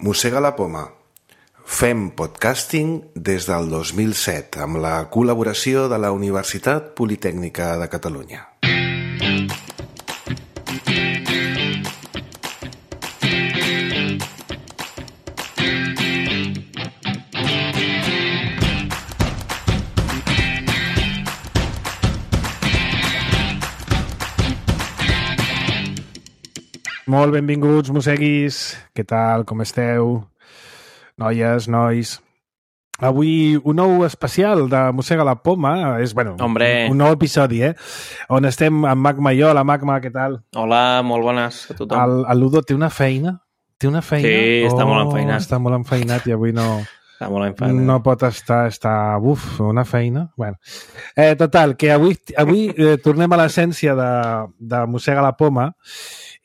Mossega la poma. Fem podcasting des del 2007 amb la col·laboració de la Universitat Politècnica de Catalunya. Molt benvinguts, mosseguis. Què tal? Com esteu? Noies, nois. Avui un nou especial de Mossega la poma. És, bueno, un nou episodi, on estem amb Magma i jo. Hola, Magma, què tal? Hola, molt bones a tothom. El Ludo té una feina? Sí, està molt enfeinat. Està molt enfeinat i avui no... Està molt enfeinat. No pot estar... una feina. Bueno. Total, que avui tornem a l'essència de Mossega la poma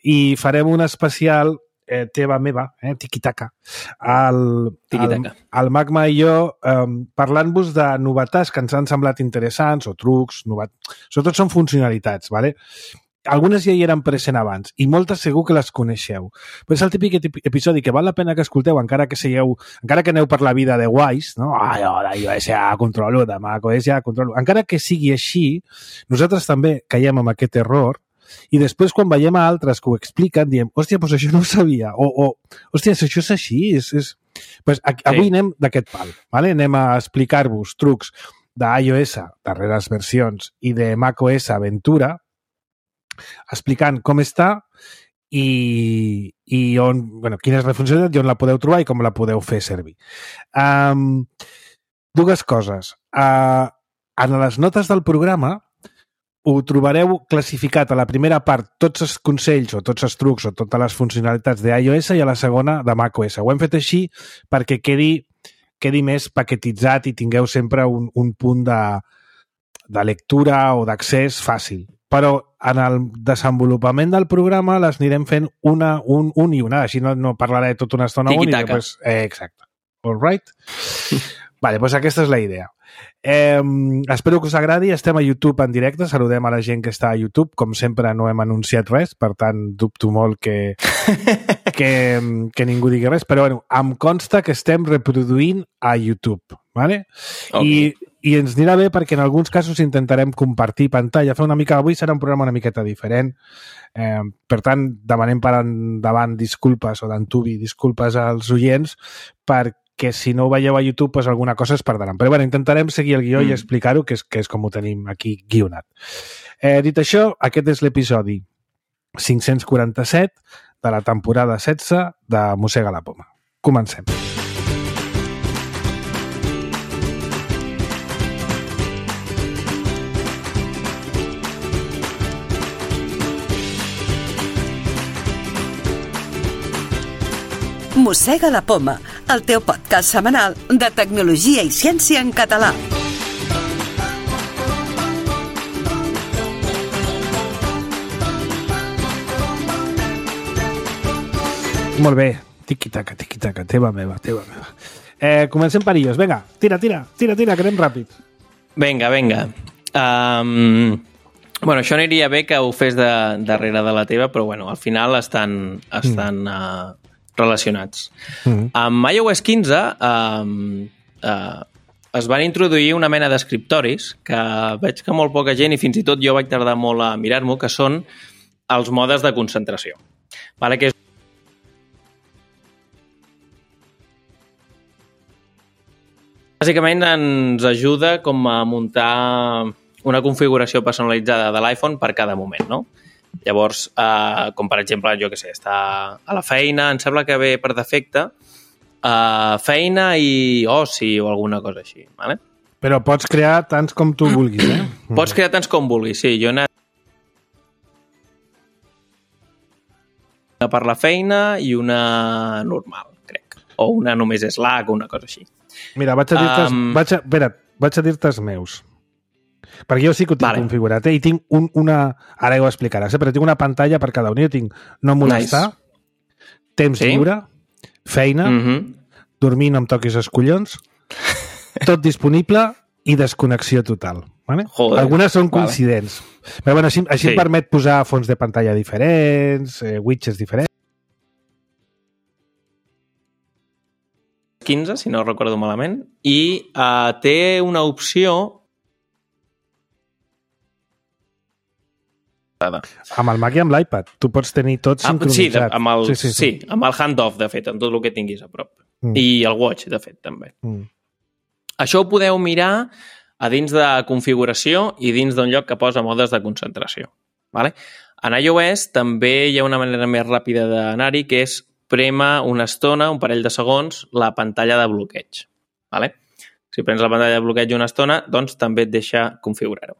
i farem un especial teva meva, tiquitaca. El Magma i jo parlant-vos de novetats que ens han semblat interessants o trucs, sobretot són funcionalitats, ¿vale? Algunes ja hi eren present abans i moltes segur que les coneixeu. Però és el típic episodi que val la pena que escolteu encara que aneu per la vida de guais, no? Jo ja controlo, de macOS ja controlo. Encara que sigui així, nosaltres també caiem amb aquest error i després quan veiem a altres que ho expliquen diem, hòstia, doncs això no ho sabia hòstia, això és així pues avui anem d'aquest pal, ¿vale? Anem a explicar-vos trucs d'iOS, darreres versions, i de macOS Ventura, explicant com està i on, quina és la funcionalitat i on la podeu trobar i com la podeu fer servir. Dues coses. En les notes del programa ho trobareu classificat a la primera part tots els consells o tots els trucs o totes les funcionalitats d'iOS i a la segona de macOS. Ho hem fet així perquè quedi més paquetitzat i tingueu sempre un punt de lectura o d'accés fàcil. Però en el desenvolupament del programa les anirem fent un i una, així no parlaré tota una estona un i després... Exacte. All right? Vale, doncs aquesta és la idea. Espero que us agradi. Estem a YouTube en directe, saludem a la gent que està a YouTube. Com sempre no hem anunciat res, per tant dubto molt que ningú digui res, però em consta que estem reproduint a YouTube, ¿vale? Okay. I ens anirà bé perquè en alguns casos intentarem compartir pantalla, fer una mica... Avui serà un programa una miqueta diferent, per tant demanem per endavant disculpes o d'antuvi disculpes als oients perquè si no ho veieu a YouTube, doncs alguna cosa es perdran. Però intentarem seguir el guió i explicar-ho, que és com ho tenim aquí guionat. Dit això, aquest és l'episodi 547 de la temporada 16 de Mossega la poma. Comencem. Mossega la poma, el teu podcast setmanal de tecnologia i ciència en català. Molt bé, tiqui-taca, teva meva. Comencem per ells, vinga, tira, que anem ràpid. Vinga. Això aniria bé que ho fes darrere de la teva, però al final estan relacionats. Amb iOS 15 es van introduir una mena d'escriptoris que veig que molt poca gent, i fins i tot jo vaig tardar molt a mirar-m'ho, que són els modes de concentració. Que és bàsicament ens ajuda com a muntar una configuració personalitzada de l'iPhone per cada moment, no? Llavors, com per exemple, jo què sé, està a la feina, em sembla que ve per defecte, feina i oci o alguna cosa així, ¿vale? Però pots crear tants com tu vulguis, Pots crear tants com vulguis, sí. Jo he anat per la feina i una normal, crec. O una només Slack o una cosa així. Mira, vaig a dir-te els meus. Perquè jo sí que ho tinc configurat, i tinc una... Ara ho explicaràs, però tinc una pantalla per cada un. Jo tinc no molestar, temps lliure, feina, dormir no em toquis els collons, tot disponible i desconnexió total. Vale? Joder, algunes són coincidents. Però així em permet posar fons de pantalla diferents, widgets diferents. 15, si no recordo malament, i té una opció... Amb el Mac i amb l'iPad. Tu pots tenir tot sincronitzat. Sí, amb el hand-off, de fet, amb tot el que tinguis a prop. I el Watch, de fet, també. Això ho podeu mirar a dins de configuració i dins d'un lloc que posa modes de concentració. Vale? En iOS també hi ha una manera més ràpida d'anar-hi, que és prémer una estona, un parell de segons, la pantalla de bloqueig. Vale? Si prens la pantalla de bloqueig una estona, doncs també et deixa configurar-ho.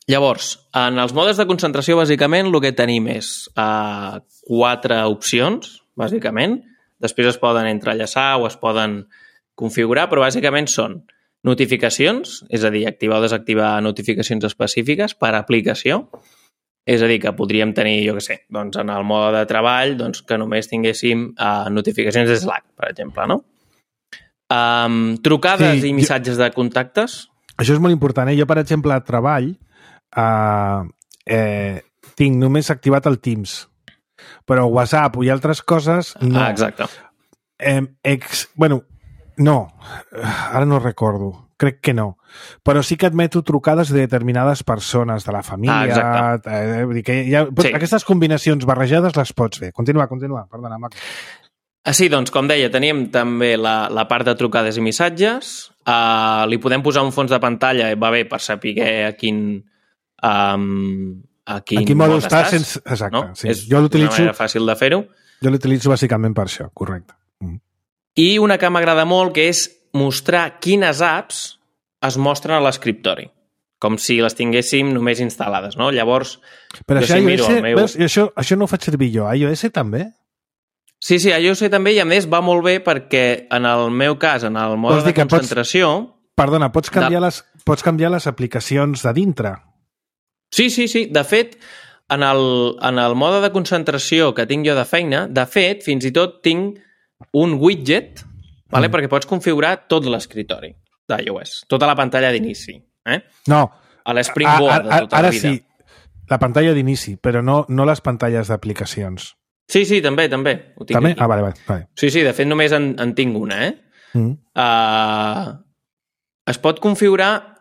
Llavors, en els modes de concentració, bàsicament, el que tenim és 4 opcions, bàsicament. Després es poden entrellaçar o es poden configurar, però bàsicament són notificacions, és a dir, activar o desactivar notificacions específiques per aplicació. És a dir, que podríem tenir, jo què sé, doncs en el mode de treball, doncs que només tinguéssim notificacions de Slack, per exemple, no? Trucades i missatges de contactes. Això és molt important. Jo, per exemple, a treball tinc només activat el Teams, però WhatsApp i altres coses no. Exacte. Bueno, no. Ara no recordo. Crec que no. Però sí que admeto trucades de determinades persones de la família. Vull dir que aquestes combinacions barrejades les pots fer. Continua. Perdona, Marc. Sí, doncs, com deia, tenim també la part de trucades i missatges. Li podem posar un fons de pantalla, va bé per saber a quin mode estàs. Exacte. No? Sí. És una manera fàcil de fer-ho. Jo l'utilitzo bàsicament per això, correcte. I una que m'agrada molt, que és mostrar quines apps es mostren a l'escriptori, com si les tinguéssim només instal·lades, no? Llavors, però això, iOS, això no ho faig servir jo. iOS també? Sí, iOS també, i a més va molt bé perquè en el meu cas, en el mode de concentració... Perdona, pots canviar les aplicacions de dintre? Sí. De fet, en el mode de concentració que tinc jo de feina, de fet, fins i tot tinc un widget, vale? Perquè pots configurar tot l'escriptori d'iOS, tota la pantalla d'inici. No. A l'Springboard de tota la vida. Ara sí, la pantalla d'inici, però no les pantalles d'aplicacions. Sí, també. Ho tinc també? Aquí. Vale. Sí, de fet només en tinc una, es pot configurar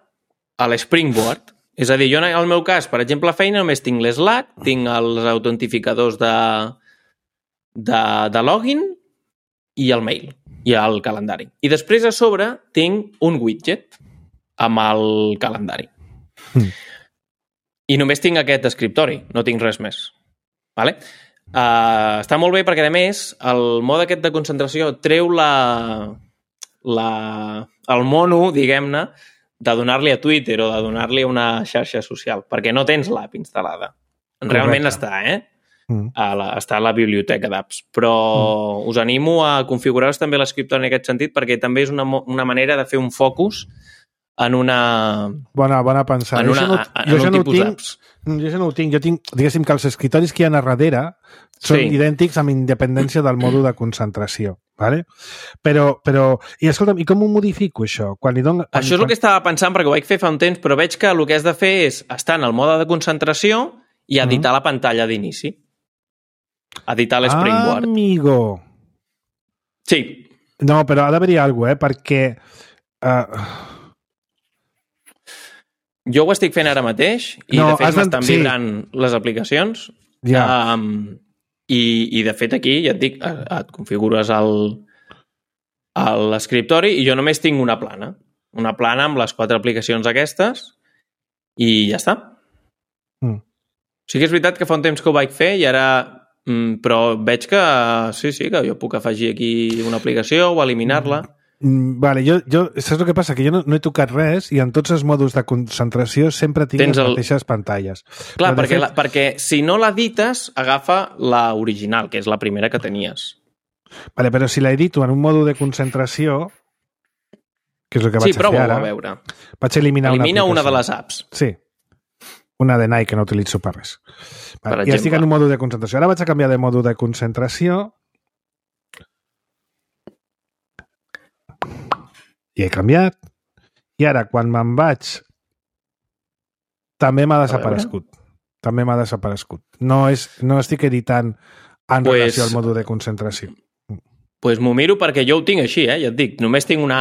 a l'Springboard. És a dir, jo en el meu cas, per exemple, a feina només tinc l'Slack, tinc els autentificadors de login i el mail, i el calendari. I després a sobre tinc un widget amb el calendari. I només tinc aquest escriptori, no tinc res més. Vale? Està molt bé perquè, a més, el mode aquest de concentració treu el mono, diguem-ne, de donar-li a Twitter o de donar-li a una xarxa social, perquè no tens l'app instal·lada. Realment està, està a la biblioteca d'apps. Però us animo a configurar-vos també l'escriptori en aquest sentit, perquè també és una manera de fer un focus en una... Bona pensada. En un tipus d'apps. Jo això no ho tinc. Jo tinc, diguéssim, que els escritoris que hi ha a darrere són idèntics amb independència del mòdul de concentració. Vale? Però i escolta'm, i com ho modifico, això? Això és el que estava pensant, perquè ho vaig fer fa un temps, però veig que el que has de fer és estar en el mode de concentració i editar la pantalla d'inici. Editar l'Springboard. Amigo! Sí. No, però ha d'haver-hi alguna cosa, perquè... Jo ho estic fent ara mateix i de fet m'estan vibrant les aplicacions i de fet aquí ja et dic, et configures l'escriptori i jo només tinc una plana amb les 4 aplicacions aquestes i ja està. Sí que és veritat que fa un temps que ho vaig fer i ara però veig que sí, que jo puc afegir aquí una aplicació o eliminar-la. Vale, jo saps el que passa? Que jo no he tocat res i en tots els mòduls de concentració sempre tinc les mateixes pantalles. Clar, perquè si no l'edites, agafa la original, que és la primera que tenies. Vale, però si l'edito en un mòdul de concentració, que és el que vaig a fer ara... a veure. Vaig eliminar Elimina una de les apps. Sí. Una de Nike que no utilitzo per res. Vale, ja estic en un mòdul de concentració. Ara vaig a canviar de mòdul de concentració i he canviat. I ara, quan me'n vaig, també m'ha desaparegut. No estic editant en relació al mòdul de concentració. Doncs m'ho miro perquè jo ho tinc així, ja et dic. Només tinc una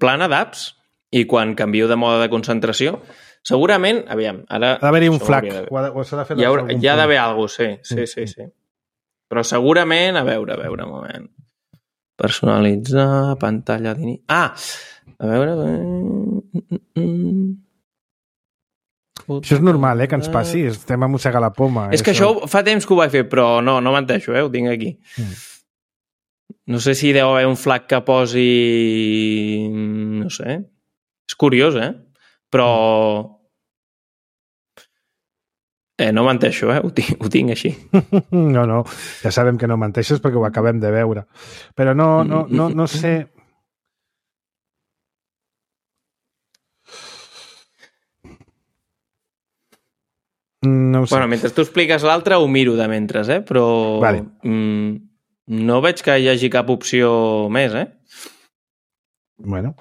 plana d'apps i quan canvio de mode de concentració, segurament, aviam, ara... Ha d'haver-hi un flag. Hi ha d'haver alguna cosa, sí. Però segurament, a veure, un moment. Personalitzar, pantalla d'inici... Ah! A veure... Això és normal, que ens passi. Estem a mossegar la poma. És que això fa temps que ho vaig fer, però no menteixo, ho tinc aquí. No sé si deu haver un flag que posi... No sé. És curiós, Però... no menteixo, ho tinc així. No, ja sabem que no menteixes perquè ho acabem de veure. Però no sé... No ho sé. Bueno, mentre tu expliques l'altre ho miro de mentre, però vale. No veig que hi hagi cap opció més, Bueno.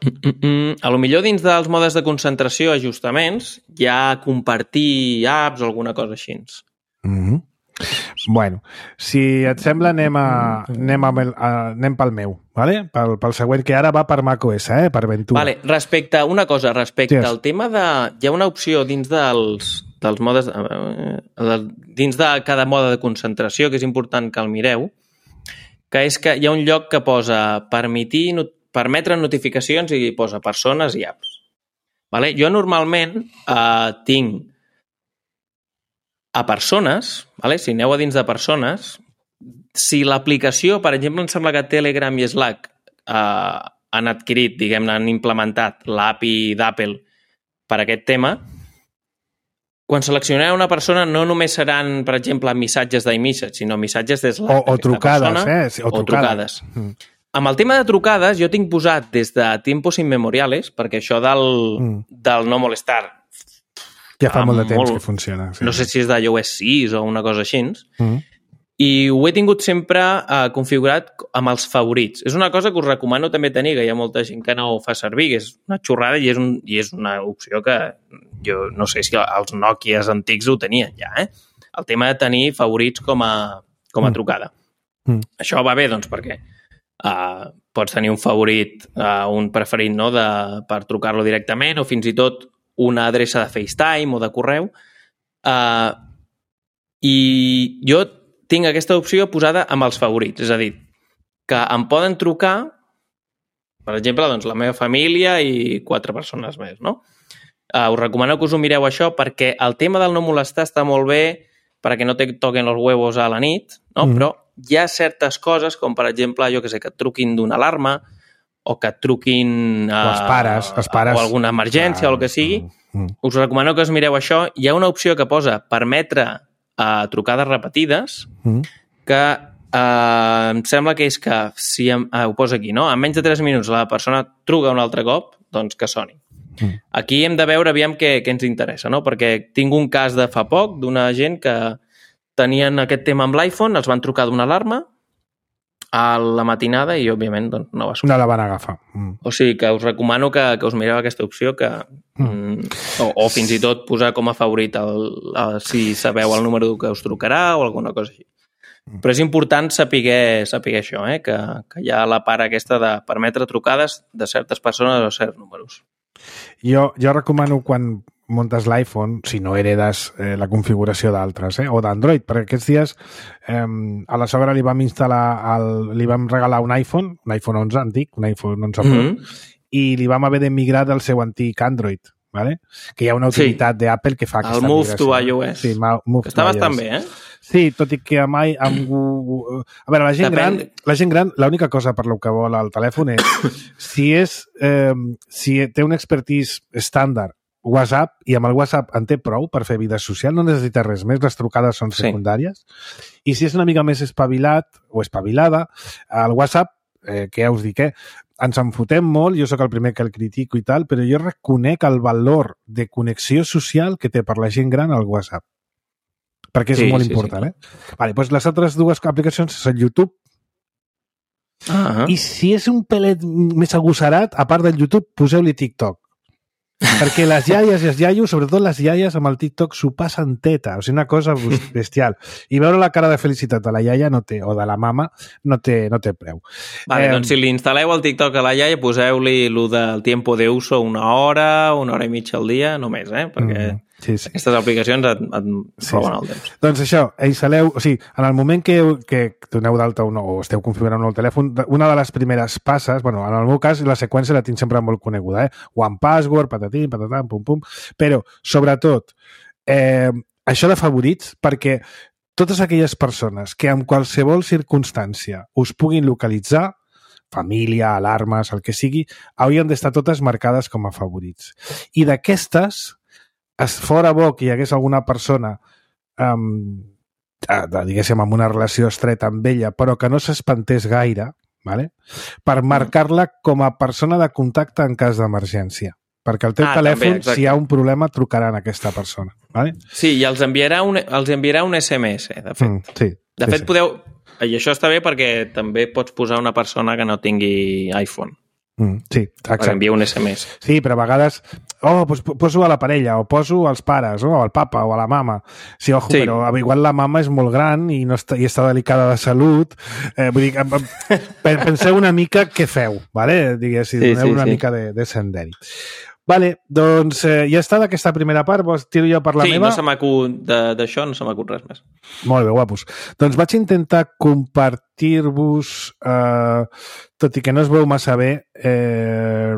A lo millor dins dels modes de concentració, ajustaments, hi ha compartir apps o alguna cosa així. Bueno, si et sembla anem pel meu, vale? Pel següent, que ara va per macOS, per Ventura. Vale, respecte al tema de... Hi ha una opció dins dels modes... dins de cada mode de concentració, que és important que el mireu, que és que hi ha un lloc que posa permetre notificacions i posa persones i apps. Vale? Jo normalment tinc a persones, vale? Si aneu a dins de persones, si l'aplicació, per exemple, em sembla que Telegram i Slack han adquirit, diguem-ne, han implementat l'API d'Apple per aquest tema, quan seleccioneu una persona no només seran, per exemple, missatges d'iMessage, sinó missatges de Slack. O trucades, persona, o trucades. Amb el tema de trucades, jo tinc posat des de tiempos inmemoriales, perquè això del no molestar ja fa molt de temps que funciona. Sí. No sé si és d'iOS 6 o una cosa així. I ho he tingut sempre configurat amb els favorits. És una cosa que us recomano també tenir, que hi ha molta gent que no ho fa servir, que és una xorrada i és una opció que jo no sé si els Nokias antics ho tenien ja, El tema de tenir favorits com a trucada. Això va bé, doncs, perquè pots tenir un favorit, un preferit, no?, per trucar-lo directament o fins i tot una adreça de FaceTime o de correu. I jo tinc aquesta opció posada amb els favorits, és a dir, que em poden trucar, per exemple, doncs, la meva família i 4 persones més, no? Us recomano que us ho mireu això perquè el tema del no molestar està molt bé perquè no te toquen els huevos a la nit, no? Però hi ha certes coses, com per exemple, jo que sé, que et truquin d'una alarma o que et truquin els pares. O alguna emergència o el que sigui. Us recomano que us mireu això. Hi ha una opció que posa permetre trucades repetides que em sembla que és que si ho posa aquí, no? En menys de 3 minuts la persona truca un altre cop, doncs que soni. Aquí hem de veure aviam què ens interessa, no? Perquè tinc un cas de fa poc d'una gent que tenien aquest tema amb l'iPhone, els van trucar d'una alarma a la matinada i, òbviament, doncs, no va sortir. No la van agafar. O sigui que us recomano que us mireu aquesta opció o fins i tot posar com a favorit si sabeu el número que us trucarà o alguna cosa així. Però és important saber això, que hi ha la part aquesta de permetre trucades de certes persones o certs números. Jo recomano quan muntes l'iPhone, si no heredes la configuració d'altres, o d'Android, perquè aquests dies a la sogra li vam regalar un iPhone 11 antic, un iPhone 11 Pro, i li vam haver de migrar del seu antic Android, ¿vale? Que hi ha una utilitat d'Apple que fa aquesta migració. El Move to iOS. Sí, Move que està bastant bé, Sí, tot i que mai... A veure, la gent gran, l'única cosa per lo que vol el telèfon és si té un expertise estàndard WhatsApp, i amb el WhatsApp en té prou per fer vida social, no necessita res més, les trucades són secundàries. I si és una mica més espavilat o espavilada, el WhatsApp, que ja us dic, ens en fotem molt, jo sóc el primer que el critico i tal, però jo reconec el valor de connexió social que té per la gent gran el WhatsApp. Perquè és molt important, Vale, doncs les altres dues aplicacions són YouTube. I si és un pelet més agossarat, a part del YouTube, poseu-li TikTok. Perquè les iaies i els iaios, sobretot les iaies amb el TikTok, s'ho passen teta. O sigui, una cosa bestial. I veure la cara de felicitat de la iaia no té, o de la mama no té preu. Vale, doncs si li instal·leu el TikTok a la iaia, poseu-li el del tiempo de uso 1 hora i mitja al dia, només, perquè aquestes aplicacions et roben el temps. Doncs això, instal·leu... O sigui, en el moment que doneu d'alta o esteu configurant un nou telèfon, una de les primeres passes, bueno, en el meu cas, la seqüència la tinc sempre molt coneguda, One Password, patatim, patatam, pum, pum, però, sobretot, això de favorits, perquè totes aquelles persones que en qualsevol circumstància us puguin localitzar, família, alarmes, el que sigui, haurien d'estar totes marcades com a favorits. I d'aquestes, fora bo que hi hagués alguna persona diguéssim, amb una relació estreta amb ella, però que no s'espantés gaire, vale? Per marcar-la com a persona de contacte en cas d'emergència. Perquè el teu telèfon, també, si hi ha un problema, trucarà a aquesta persona. Vale? Sí, i els enviarà un SMS, de fet. Sí. De fet, podeu... I això està bé perquè també pots posar una persona que no tingui iPhone. Sí, exacte. Per enviar un SMS. Sí, però a vegades doncs poso a la parella, o poso als pares, o al papa, o a la mama. Sí, ojo, sí. Però igual la mama és molt gran i està delicada de salut. Vull dir, penseu una mica què feu, vale? Diguéssim, doneu una mica de senderi. Vale, doncs ja està d'aquesta primera part, vols tiro jo per la meva? Sí, d'això no se m'acut res més. Molt bé, guapos. Doncs vaig intentar compartir-vos, tot i que no es veu massa bé, el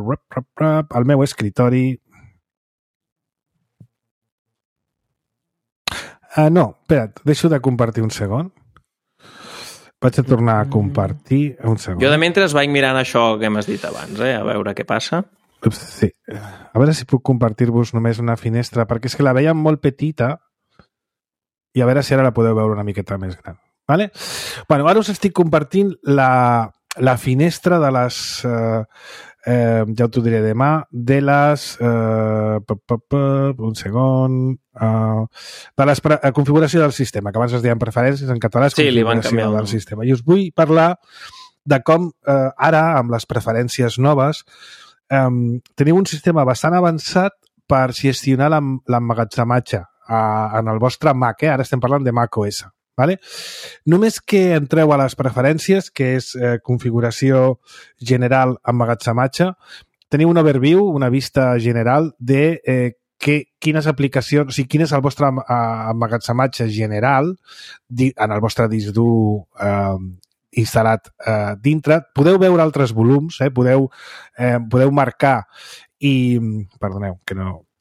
meu escritori. No, espera't, deixo de compartir un segon. Vaig a tornar a compartir un segon. Jo de mentre vaig mirant això que m'has dit abans, a veure què passa. Sí. A veure si puc compartir-vos només una finestra, perquè és que la veiem molt petita i a veure si ara la podeu veure una miqueta més gran. Vale? Bueno, ara us estic compartint la finestra de les... ja t'ho diré demà, de les... un segon... de la configuració del sistema, que abans es deien preferències, en català és configuració del sistema. I us vull parlar de com ara, amb les preferències noves, teniu un sistema bastant avançat per gestionar l'emmagatzematge en el vostre Mac, ara estem parlant de Mac OS. Vale? Només que entreu a les preferències, que és configuració general emmagatzematge, teniu un overview, una vista general de quines aplicacions, o sigui, quin és el vostre emmagatzematge general en el vostre disc dur instal·lat dintre. Podeu veure altres volums, podeu marcar i... Perdoneu,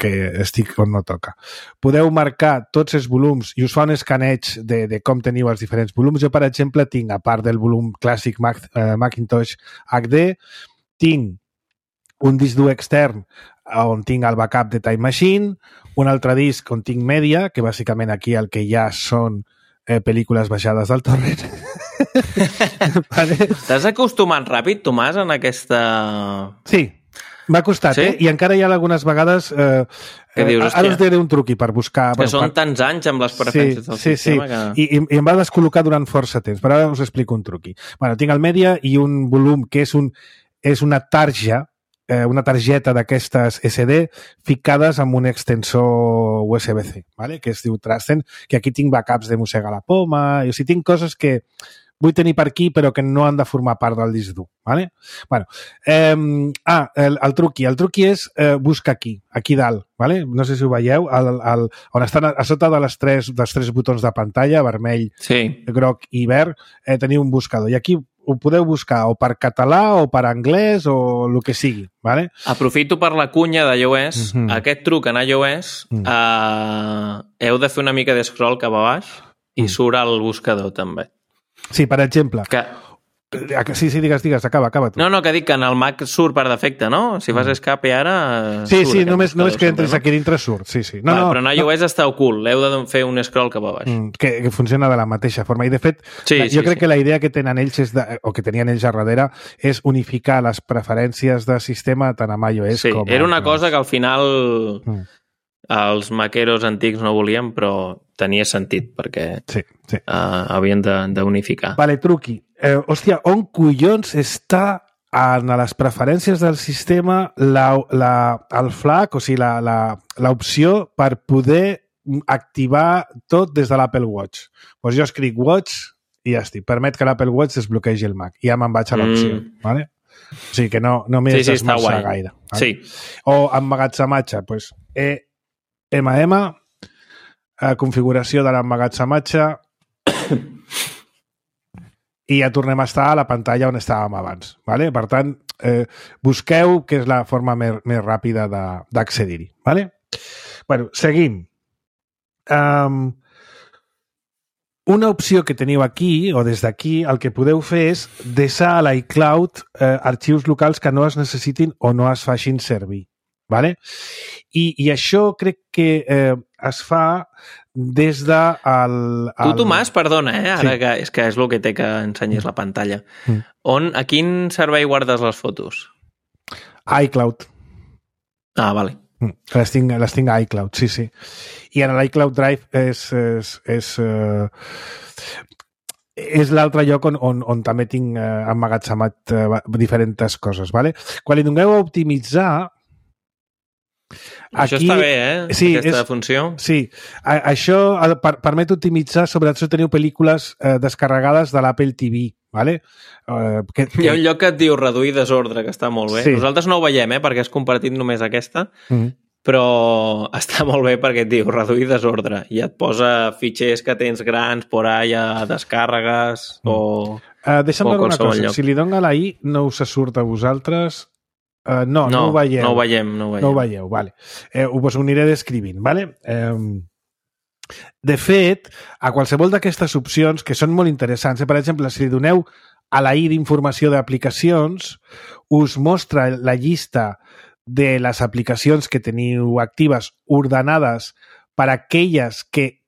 que estic on no toca. Podeu marcar tots els volums i us fa un escaneig de com teniu els diferents volums. Jo, per exemple, tinc, a part del volum clàssic Macintosh HD, tinc un disc dur extern on tinc el backup de Time Machine, un altre disc on tinc Media, que bàsicament aquí el que hi ha són pel·lícules baixades del torrent. Vale. T'has acostumat ràpid, Tomàs, en aquesta... Sí, m'ha costat, sí? I encara hi ha algunes vegades... ara us diré un truqui per buscar... Que són tants anys amb les preferències del sistema que... I em va descol·locar durant força temps, però ara us explico un truqui. Bueno, tinc el Media i un volum que és una targeta d'aquestes SD ficades amb un extensor USB-C, ¿vale? Que es diu Transcend, que aquí tinc backups de Mossega la Poma, o sigui, tinc coses que vull tenir per aquí però que no han de formar part del disc dur, ¿vale? Bueno, el truqui és busca aquí dalt, ¿vale? No sé si ho veieu, on estan a sota dels tres botons de pantalla, vermell, groc i verd, teniu un buscador, i aquí ho podeu buscar o per català o per anglès o el que sigui, ¿vale? Aprofito per la cunya d'iOS. Aquest truc en iOS heu de fer una mica de scroll cap a baix i surt al buscador també. Sí, per exemple. Sí, digues, acaba tu. No, que dic que en el Mac surt per defecte, no? Si fas escape ara... Sí, només que entres aquí dintre surt, sí. Però en iOS està ocult, heu de fer un scroll cap a baix. Que funciona de la mateixa forma. I, de fet, jo crec que la idea que tenen ells, o que tenien ells a darrere, és unificar les preferències de sistema tant amb iOS com... Sí, era una cosa que al final els maqueros antics no volien, però tenia sentit, perquè havien d'unificar. Vale, truqui. Hòstia, on collons està en les preferències del sistema el flag, o sigui, l'opció per poder activar tot des de l'Apple Watch. Doncs jo escric Watch i ja estic. Permet que l'Apple Watch desbloquegi el Mac. I ja me'n vaig a l'opció. Vale? O sigui que no m'he d'esmerçar gaire. Vale? Sí. O emmagatzematge, doncs configuració de l'emmagatzematge i ja tornem a estar a la pantalla on estàvem abans. Vale? Per tant, busqueu que és la forma més ràpida d'accedir-hi. Vale? Bueno, seguim. Una opció que teniu aquí, o des d'aquí, el que podeu fer és deixar a l'iCloud arxius locals que no es necessitin o no es facin servir. Vale? I això crec que es fa des de... Tu, Tomàs, perdona, ara sí. que és el que té que ensenyis la pantalla. A quin servei guardes les fotos? iCloud. Ah, vale. Les tinc a iCloud, sí. I en l'iCloud Drive és l'altre lloc on també tinc emmagatzemat diferents coses. Vale? Quan li doneu a optimitzar... Això està bé, sí, aquesta funció. Sí, això permet optimitzar, sobretot si teniu pel·lícules descarregades de l'Apple TV. Vale? Hi ha un lloc que et diu reduir desordre, que està molt bé. Sí. Nosaltres no ho veiem, perquè has compartit només aquesta, però està molt bé perquè et diu reduir desordre i et posa fitxers que tens grans por allà, descàrregues o... Deixa'm veure una cosa, lloc. Si li dono a la I no us surt a vosaltres... No ho veieu. No ho veieu, vale. Us ho aniré descrivint, vale? De fet, a qualsevol d'aquestes opcions, que són molt interessants, per exemple, si li doneu a la I d'informació d'aplicacions, us mostra la llista de les aplicacions que teniu actives ordenades per aquelles que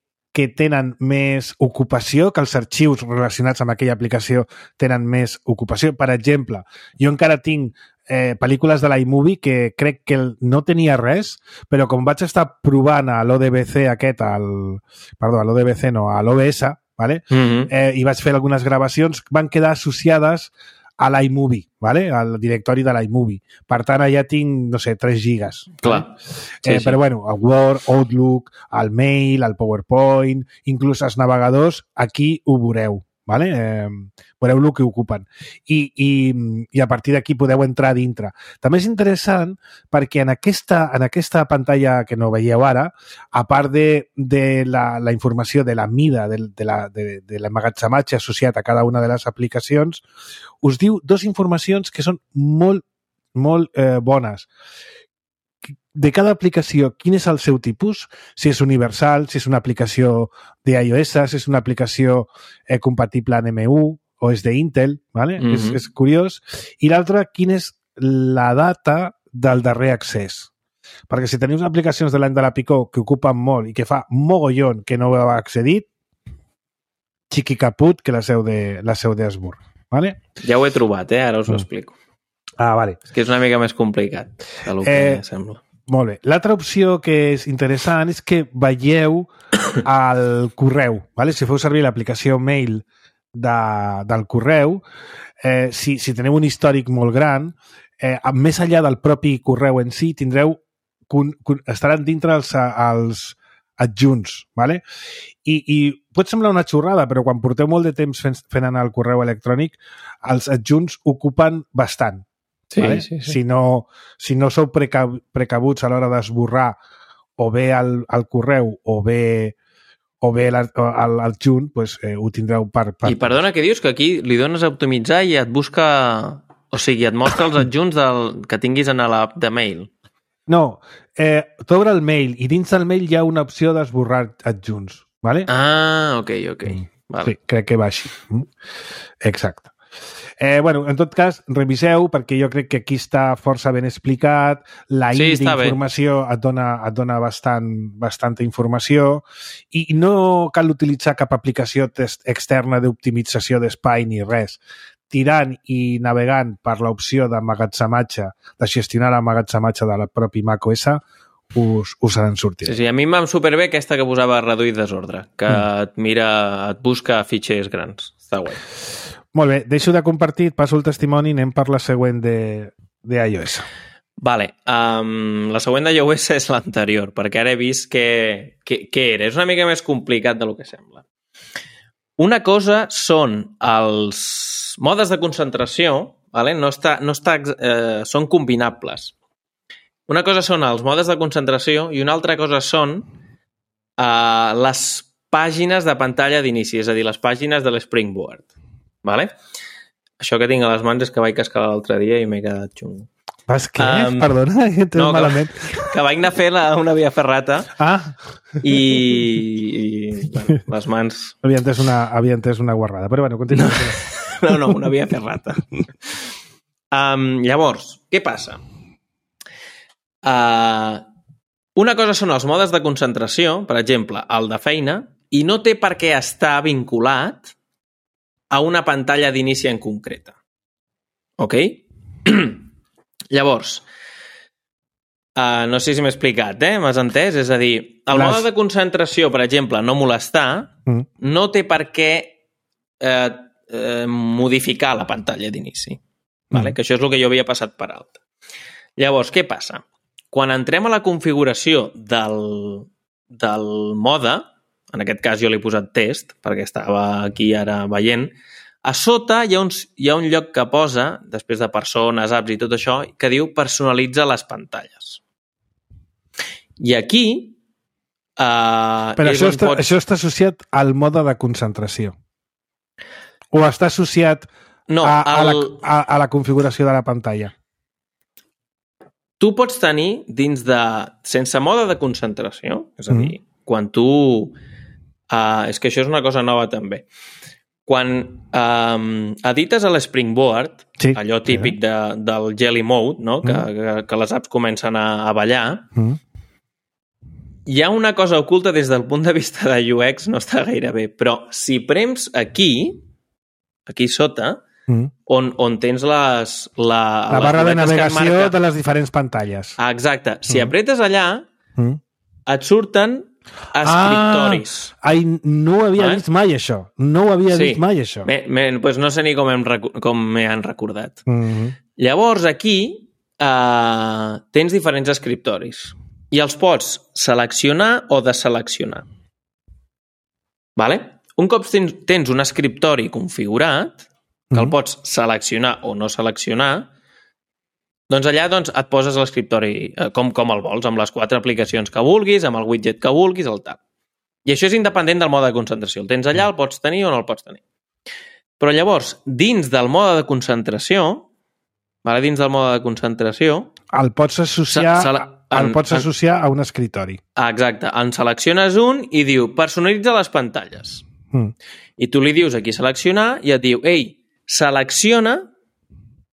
tenen més ocupació, que els arxius relacionats amb aquella aplicació tenen més ocupació. Per exemple, jo encara tinc pel·lícules de l'iMovie que crec que no tenia res, però com vaig estar provant a l'ODBC a l'OBS, vale? I vaig fer algunes gravacions, van quedar associades a l'iMovie, vale? Al directori de l'iMovie. Per tant, allà tinc, no sé, 3 gigas. Clar. Sí. Però bueno, el Word, Outlook, el Mail, el PowerPoint, inclús els navegadors, aquí ho veureu. Vale? Veureu el que ocupen i a partir d'aquí podeu entrar dintre. També és interessant perquè en aquesta pantalla que no veieu ara, a part de la informació de la mida de l'emmagatzematge associat a cada una de les aplicacions, us diu 2 informacions que són molt bones. De cada aplicació, quin és el seu tipus, si és universal, si és una aplicació d'iOS, si és una aplicació compatible en M1 o és d'Intel, ¿vale? És curiós. I l'altre, quina és la data del darrer accés. Perquè si teniu aplicacions de l'any de la Picó que ocupen molt i que fa mogollon que no heu accedit, xiqui caput que la seu d'Esbur. ¿Vale? Ja ho he trobat, ara us ho explico. Ah, vale. És que és una mica més complicat del que sembla. Molt bé. L'altra opció que és interessant és que veieu el correu. ¿Vale? Si feu servir l'aplicació Mail del correu, si teniu un històric molt gran, més enllà del propi correu en si, estaran dintre els adjunts. ¿Vale? I pot semblar una xorrada, però quan porteu molt de temps fent anar el correu electrònic, els adjunts ocupen bastant. Sí, ¿vale? sí. Si no sou precabuts a l'hora d'esborrar o bé el correu o bé l'adjunt, pues, ho tindreu per... I perdona, què dius? Que aquí li dones a optimitzar i et busca... O sigui, et mostra els adjunts que tinguis en l'app de Mail. No, t'obre el Mail i dins del Mail hi ha una opció d'esborrar adjunts, ¿vale? Ah, ok. Vale. Sí, crec que va així. Exacte. Bueno, en tot cas, reviseu, perquè jo crec que aquí està força ben explicat, la d'informació et dona bastanta informació i no cal utilitzar cap aplicació externa d'optimització d'espai ni res. Tirant i navegant per l'opció d'emmagatzematge, de gestionar l'emmagatzematge de la propi macOS, us en sortirà. Sí, a mi em va superbé aquesta que posava reduir desordre, que et busca fitxers grans. Està guai. Molt bé, deixo de compartir, passo el testimoni i anem per la següent d'iOS. Vale, la següent de iOS és l'anterior, perquè ara he vist què era. És una mica més complicat del que sembla. Una cosa són els modes de concentració, vale? Són combinables. Una cosa són els modes de concentració i una altra cosa són les pàgines de pantalla d'inici, és a dir, les pàgines de l'Springboard. Vale? Això que tinc a les mans és que vaig cascar l'altre dia i m'he quedat xungo. Vas què? Perdona, malament. Que vaig anar a fer una via ferrata i bueno, les mans... Havia entès una guarrada, però bueno, continua. No, una via ferrata. Llavors, què passa? Una cosa són els modes de concentració, per exemple, el de feina, i no té per què estar vinculat a una pantalla d'inici en concreta. Ok? Llavors, no sé si m'he explicat, m'has entès? És a dir, el mode de concentració, per exemple, no molestar, no té per què modificar la pantalla d'inici. Vale? Que això és el que jo havia passat per alt. Llavors, què passa? Quan entrem a la configuració del mode, en aquest cas jo l'he posat test, perquè estava aquí ara veient, a sota hi ha un lloc que posa, després de persones, apps i tot això, que diu personalitza les pantalles. I aquí... Però això està associat al mode de concentració. O està associat a la configuració de la pantalla? Tu pots tenir dins de... sense mode de concentració, és a dir, quan tu... és que això és una cosa nova també. Quan edites a l'Springboard, allò típic del Jelly Mode, no? que les apps comencen a ballar, hi ha una cosa oculta des del punt de vista de UX, no està gaire bé, però si prems aquí sota, on tens la barra de navegació de les diferents pantalles. Exacte. Si apretes allà, et surten escriptoris. No ho havia vist mai, això. No ho havia vist mai, això. Doncs no sé ni com m'he han recordat. Llavors, aquí tens diferents escriptoris i els pots seleccionar o deseleccionar. Vale? Un cop tens un escriptori configurat, que el pots seleccionar o no seleccionar, doncs allà et poses l'escriptori com el vols, amb les 4 aplicacions que vulguis, amb el widget que vulguis, el tal. I això és independent del mode de concentració. El tens allà, el pots tenir o no el pots tenir. Però llavors, dins del mode de concentració, el pots associar a un escriptori. Exacte. En selecciones un i diu personalitza les pantalles. I tu li dius aquí seleccionar i et diu selecciona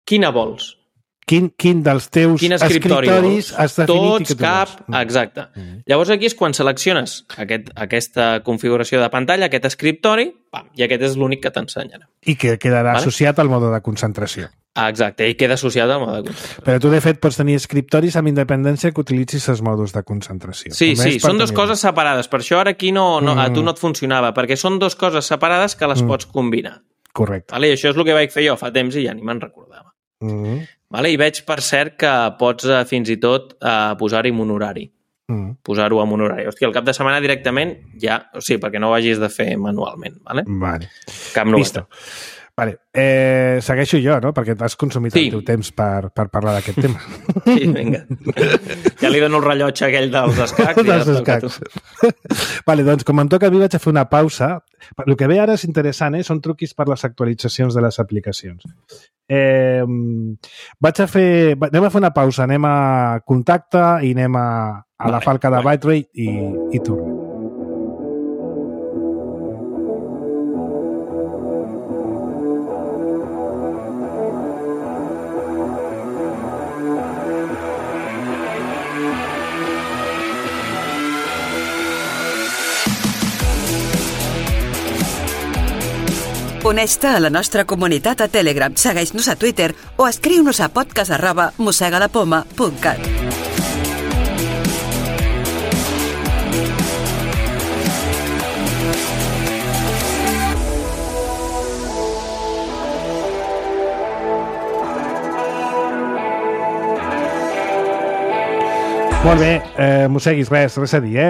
quina vols. Quin dels teus escriptoris has definit i que tu vols. Exacte. Llavors aquí és quan selecciones aquesta configuració de pantalla, aquest escriptori, i aquest és l'únic que t'ensenyarà. I que quedarà associat al mode de concentració. Exacte, i queda associat al mode de concentració. Però tu, de fet, pots tenir escriptoris amb independència que utilitzis els modes de concentració. Sí, són dues coses separades. Per això ara aquí a tu no et funcionava, perquè són dues coses separades que les pots combinar. Correcte. I això és el que vaig fer jo fa temps i ja ni me'n recordava. I veig, per cert, que pots fins i tot posar-hi un horari. Posar-ho amb un horari. Hòstia, al cap de setmana directament ja... O sigui, perquè no ho hagis de fer manualment. Vale. Cap novetat. Vale. Segueixo jo, no? Perquè t'has consumit el teu temps per parlar d'aquest tema. Sí, vinga. Ja li dono el rellotge aquell dels escacs. Vale, doncs com em toca a mi vaig a fer una pausa. El que ve ara és interessant, són truquis per les actualitzacions de les aplicacions. Anem a fer una pausa, anem a contacte i anem a la falca de Byterate i tornem. Uneix-te a la nostra comunitat a Telegram, segueix-nos a Twitter o escriu-nos a podcast@mossegalapoma.cat. Molt bé, mosseguis, res a dir,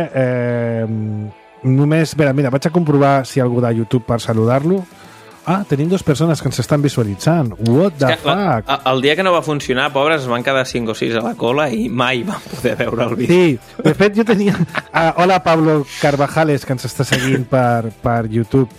només, mira, vaig a comprovar si hi ha algú de YouTube per saludar-lo. Ah, tenim 2 persones que ens estan visualitzant. What the fuck? El dia que no va funcionar, pobres, es van quedar 5 o 6 a la cola i mai van poder veure el vídeo. Sí, de fet jo tenia... hola, Pablo Carvajales, que ens està seguint per YouTube.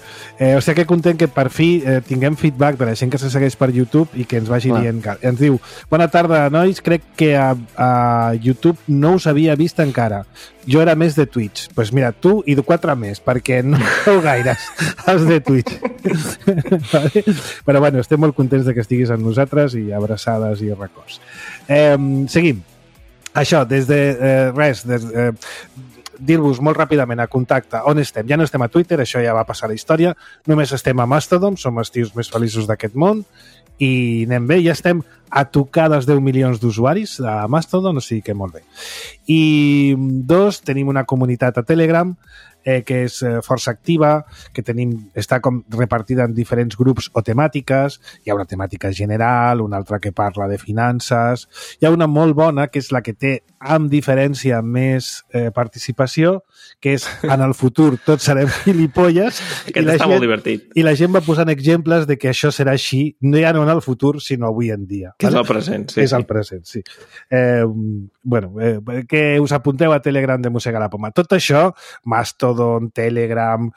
O sigui que content que per fi tinguem feedback de la gent que se segueix per YouTube i que ens vagi dient... Ens diu, bona tarda, nois, crec que a YouTube no us havia vist encara. Jo era més de Twitch. Doncs pues mira, tu i 4 més, perquè no sou gaires els de Twitch. Vale? Però bueno, estem molt contents de que estiguis amb nosaltres i abraçades i records. Seguim. Això, des de dir-vos molt ràpidament a contacte on estem. Ja no estem a Twitter, això ja va passar a la història. Només estem a Mastodon, som els tios més feliços d'aquest món i anem bé, ja estem a tocar dels 10 milions d'usuaris a Mastodon, o sigui que molt bé. I 2, tenim una comunitat a Telegram que és força activa, que està com repartida en diferents grups o temàtiques. Hi ha una temàtica general, una altra que parla de finances. Hi ha una molt bona, que és la que té, amb diferència, més participació, que és en el futur tots serem gilipolles. Aquest està molt divertit. I la gent va posant exemples de que això serà així, no ja no en el futur, sinó avui en dia. Que és el present, sí. És el present, sí. Que us apunteu a Telegram de Mossega la Poma. Tot això, Mastodon, Telegram,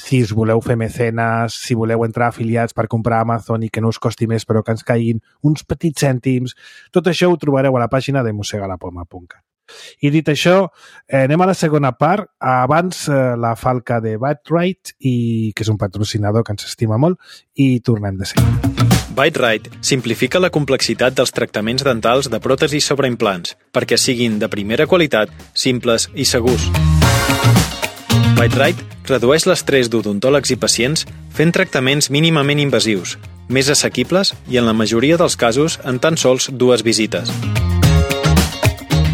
si us voleu fer mecenes, si voleu entrar afiliats per comprar a Amazon i que no us costi més però que ens caiguin uns petits cèntims, tot això ho trobareu a la pàgina de mossegalapoma.cat. I dit això, anem a la segona part. Abans la falca de Byte-Rite, que és un patrocinador que ens estima molt, i tornem de seguida. Byte-Rite simplifica la complexitat dels tractaments dentals de pròtesis sobre implants perquè siguin de primera qualitat, simples i segurs. Byte-Rite redueix l'estrès d'odontòlegs i pacients fent tractaments mínimament invasius, més assequibles i, en la majoria dels casos, en tan sols 2 visites.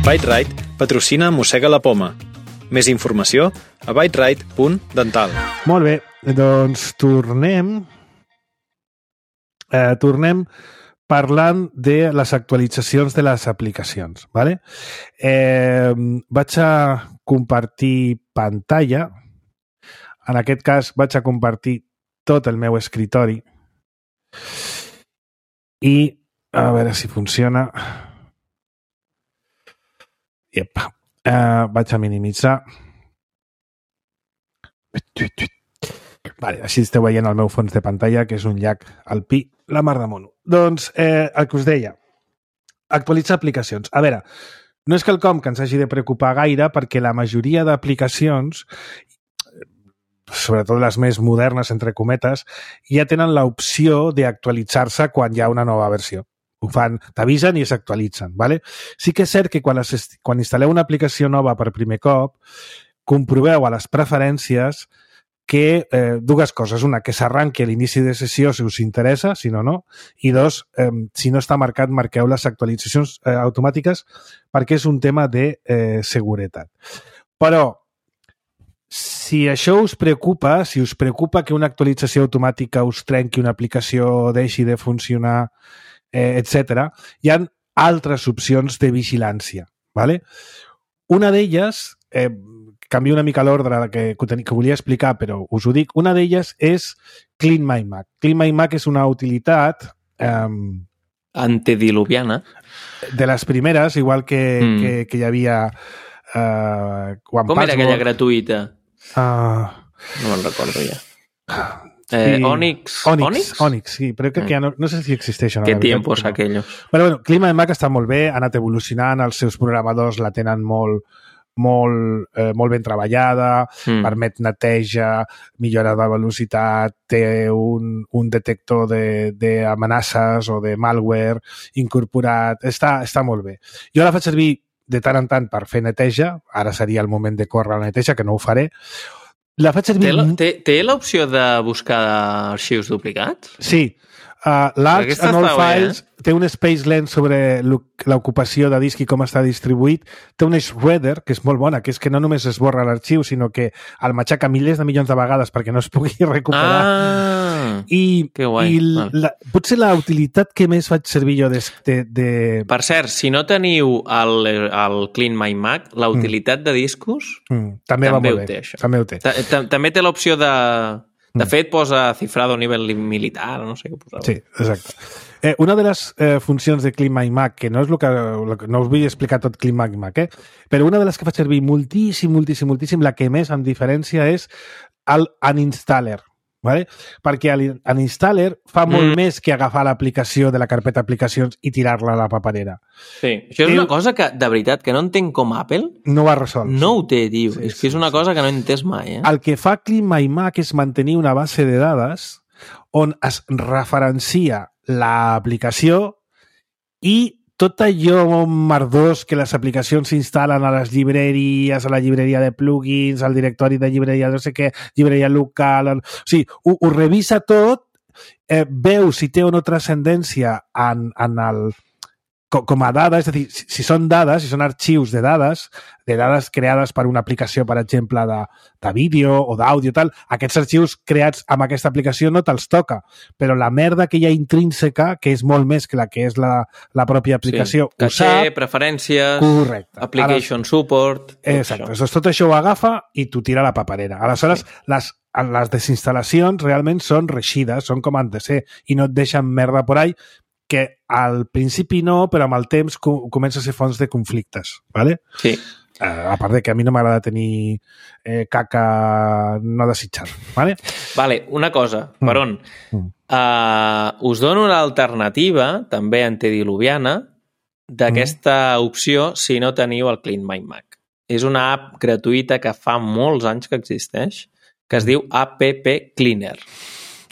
Byte-Rite patrocina Mossega la Poma. Més informació a byterite.dental. Molt bé, doncs tornem parlant de les actualitzacions de les aplicacions. ¿Vale? Vaig a compartir pantalla. En aquest cas vaig a compartir tot el meu escritori i a veure si funciona. Vaig a minimitzar. Vale, així esteu veient el meu fons de pantalla, que és un llac alpí, la mar de mono. Doncs el que us deia, actualitzar aplicacions. A veure, no és quelcom que ens hagi de preocupar gaire perquè la majoria d'aplicacions, sobretot les més modernes, entre cometes, ja tenen l'opció d'actualitzar-se quan hi ha una nova versió. Ho fan, t'avisen i s'actualitzen. ¿Vale? Sí que és cert que quan instal·leu una aplicació nova per primer cop, comproveu a les preferències que 2 coses. Una, que s'arranqui a l'inici de sessió si us interessa, si no, no. I 2, si no està marcat, marqueu les actualitzacions automàtiques perquè és un tema de seguretat. Però, si això us preocupa, si us preocupa que una actualització automàtica us trenqui una aplicació, deixi de funcionar, etc., hi ha altres opcions de vigilància. ¿Vale? Una d'elles... canvio una mica l'ordre que volia explicar, però us ho dic. Una d'elles és Clean My Mac. Clean My Mac és una utilitat... antediluviana. De les primeres, igual que hi havia... Com era aquella gratuïta? No me'n recordo ja. Onyx, sí, però crec que ja no sé si existeixen. Qué tiempos aquellos. Però bueno, Clean My Mac està molt bé, ha anat evolucionant, els seus programadors la tenen molt ben treballada, permet neteja, millora de velocitat, té un detector d'amenaces o de malware incorporat, està molt bé. Jo la faig servir de tant en tant per fer neteja, ara seria el moment de córrer la neteja, que no ho faré. La faig servir... Té l'opció de buscar arxius duplicats? Sí. L'Arcs and All Files té un space lens sobre l'ocupació de disc i com està distribuït. Té un shredder, que és molt bona, que és que no només esborra l'arxiu, sinó que el matxaca milers de milions de vegades perquè no es pugui recuperar. Que guai. Potser la utilitat que més faig servir jo de... Per cert, si no teniu el Clean My Mac, la utilitat de discos també va molt bé. Això. També ho té. També té l'opció de... De fet, posa cifrado a nivell militar, no sé què posava. Sí, exacte. Una de les funcions de Clean My Mac, que no és no us vull explicar tot Clean My Mac, però una de les que faig servir moltíssim, la que més em diferència és el Uninstaller. Vale? Perquè l'Uninstaller fa molt més que agafar l'aplicació de la carpeta aplicacions i tirar-la a la paperera. Sí, això és una cosa que, de veritat, que no entenc com Apple no ho ha resolt. No ho té, tio. Sí, és que és una cosa que no he entès mai. El que fa Clean My Mac és mantenir una base de dades on es referencia l'aplicació i tot allò merdós que les aplicacions s'instal·len a les llibreries, a la llibreria de plugins, al directori de llibreria no sé què, llibreria local... O sigui, ho revisa tot, veu si té o no transcendència com a dades, és a dir, si són dades, si són arxius de dades creades per una aplicació, per exemple, de vídeo o d'àudio, tal, aquests arxius creats amb aquesta aplicació no te'ls toca, però la merda que hi ha intrínseca, que és molt més que la que és la pròpia aplicació, sí. Caché, preferències, correcte. Application support... Exacte, això. Tot això ho agafa i t'ho tira a la paperera. Aleshores, les desinstal·lacions realment són reixides, són com han de ser, i no et deixen merda por ahí, que al principi no, però amb el temps comença a ser fonts de conflictes, ¿vale? Sí. A part de que a mi no m'agrada tenir caca no desitjada, ¿vale? Vale, una cosa, Baron. Us dono l'alternativa, també antediluviana, d'aquesta opció si no teniu el Clean My Mac. És una app gratuïta que fa molts anys que existeix, que es diu App Cleaner.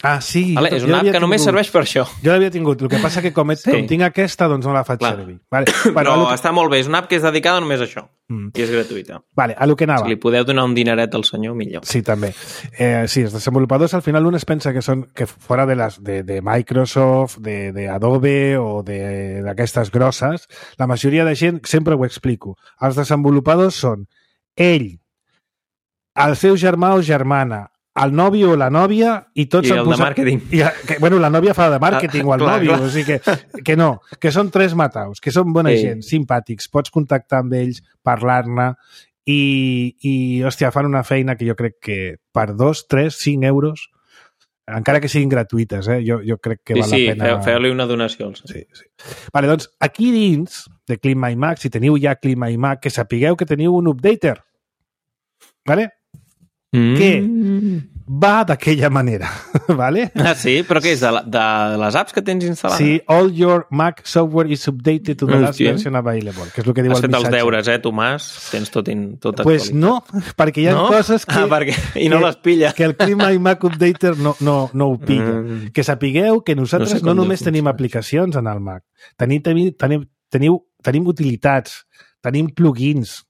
Ah, sí. Vale, és una app que només serveix per això. Jo l'havia tingut. El que passa que com tinc aquesta, doncs no la faig servir. Vale. Però està molt bé. És una app que és dedicada només a això. I és gratuïta. Vale, a lo que anava. Si li podeu donar un dineret al senyor, millor. Sí, també. Sí, els desenvolupadors al final un es pensa que són que fora de Microsoft, de Adobe o d'aquestes grosses, la majoria de gent, sempre ho explico, els desenvolupadors són ell, el seu germà o germana, el nòvio o la nòvia i tots el de màrqueting. Bueno, la nòvia fa de màrqueting o el nòvio, o sigui que no, que són tres mataus, que són bona gent, simpàtics, pots contactar amb ells, parlar-ne i hòstia, fan una feina que jo crec que per 2, 3, 5 euros, encara que siguin gratuïtes, jo crec que val la pena... Sí, feu-li una donació. Sí. Vale, doncs, aquí dins de Clean My Mac, si teniu ja Clean My Mac, que sapigueu que teniu un updater, vale? Que va d'aquella manera, ¿vale? Ah, sí? Però què és? De les apps que tens instal·lades? Sí, all your Mac software is updated to the last version available, que és el que diu el missatge. Has fet els deures, Tomàs? Tens tot actualitzat. Pues no, perquè hi ha coses que... I no les pilla. Que el Clean My Mac Updater no ho pilla. Que sapigueu que nosaltres no només tenim aplicacions en el Mac. Tenim utilitats, tenim plugins,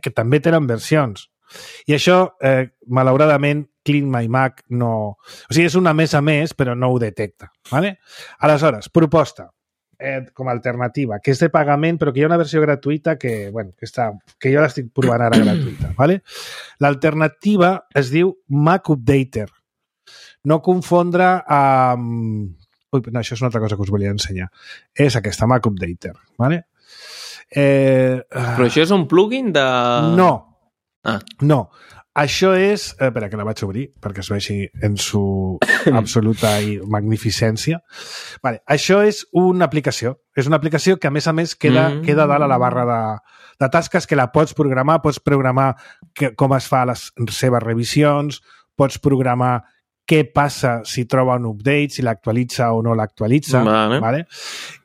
que també tenen versions. I això, malauradament, Clean My Mac no... O sigui, és una més a més, però no ho detecta. ¿Vale? Aleshores, proposta, com a alternativa, que és de pagament, però que hi ha una versió gratuïta que jo l'estic provant ara gratuïta. ¿Vale? L'alternativa es diu Mac Updater. No confondre amb... Ui, no, això és una altra cosa que us volia ensenyar. És aquesta, Mac Updater. ¿Vale? Però això és un plugin de... No. No, això és... Espera, que la vaig obrir perquè es vegi en su absoluta magnificència. Vale, això és una aplicació. És una aplicació que, a més, queda dalt a la barra de tasques, que la pots programar com es fa les seves revisions, pots programar què passa si troba un update, si l'actualitza o no l'actualitza. Vale?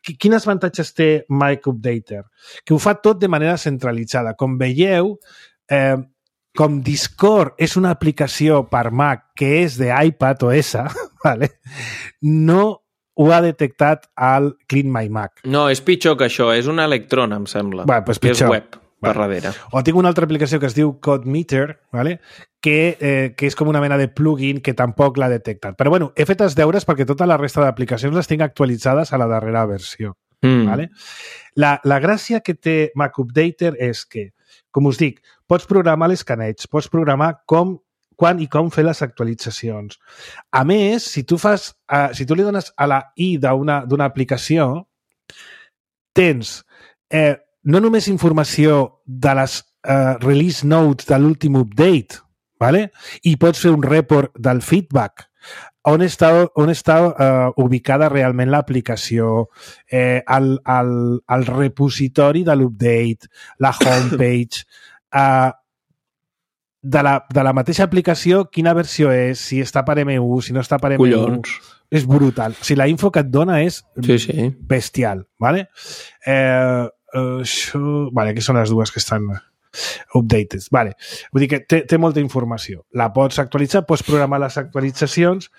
Quins avantatges té Mac Updater? Que ho fa tot de manera centralitzada. Com veieu, com Discord és una aplicació per Mac que és d'iPad OS, ¿vale? No ho ha detectat al Clean My Mac. No, és pitjor que això, és una Electron, em sembla. Pues pitjor. És web. per darrere. O tinc una altra aplicació que es diu CodeMeter, ¿vale? que és com una mena de plugin que tampoc l'ha detectat. Però bueno, he fet els deures perquè tota la resta d'aplicacions les tinc actualitzades a la darrera versió. ¿Vale? La gràcia que té Mac Updater és que, com us dic, pots programar l'escaneig, pots programar quan i com fer les actualitzacions. A més, si tu li dones a la I d'una aplicació, tens no només informació de les release notes de l'últim update, ¿vale? I pots fer un report del feedback, on està ubicada realment l'aplicació, el repositori de l'update, la homepage, de la mateixa aplicació, quina versió és, si està per M1, si no està per M1. Collons. És brutal. O sigui, la info que et dona és bestial, ¿vale? Vale, aquí són les dues que estan updated. Vale. Vull dir que té molta informació. La pots actualitzar, pots programar les actualitzacions,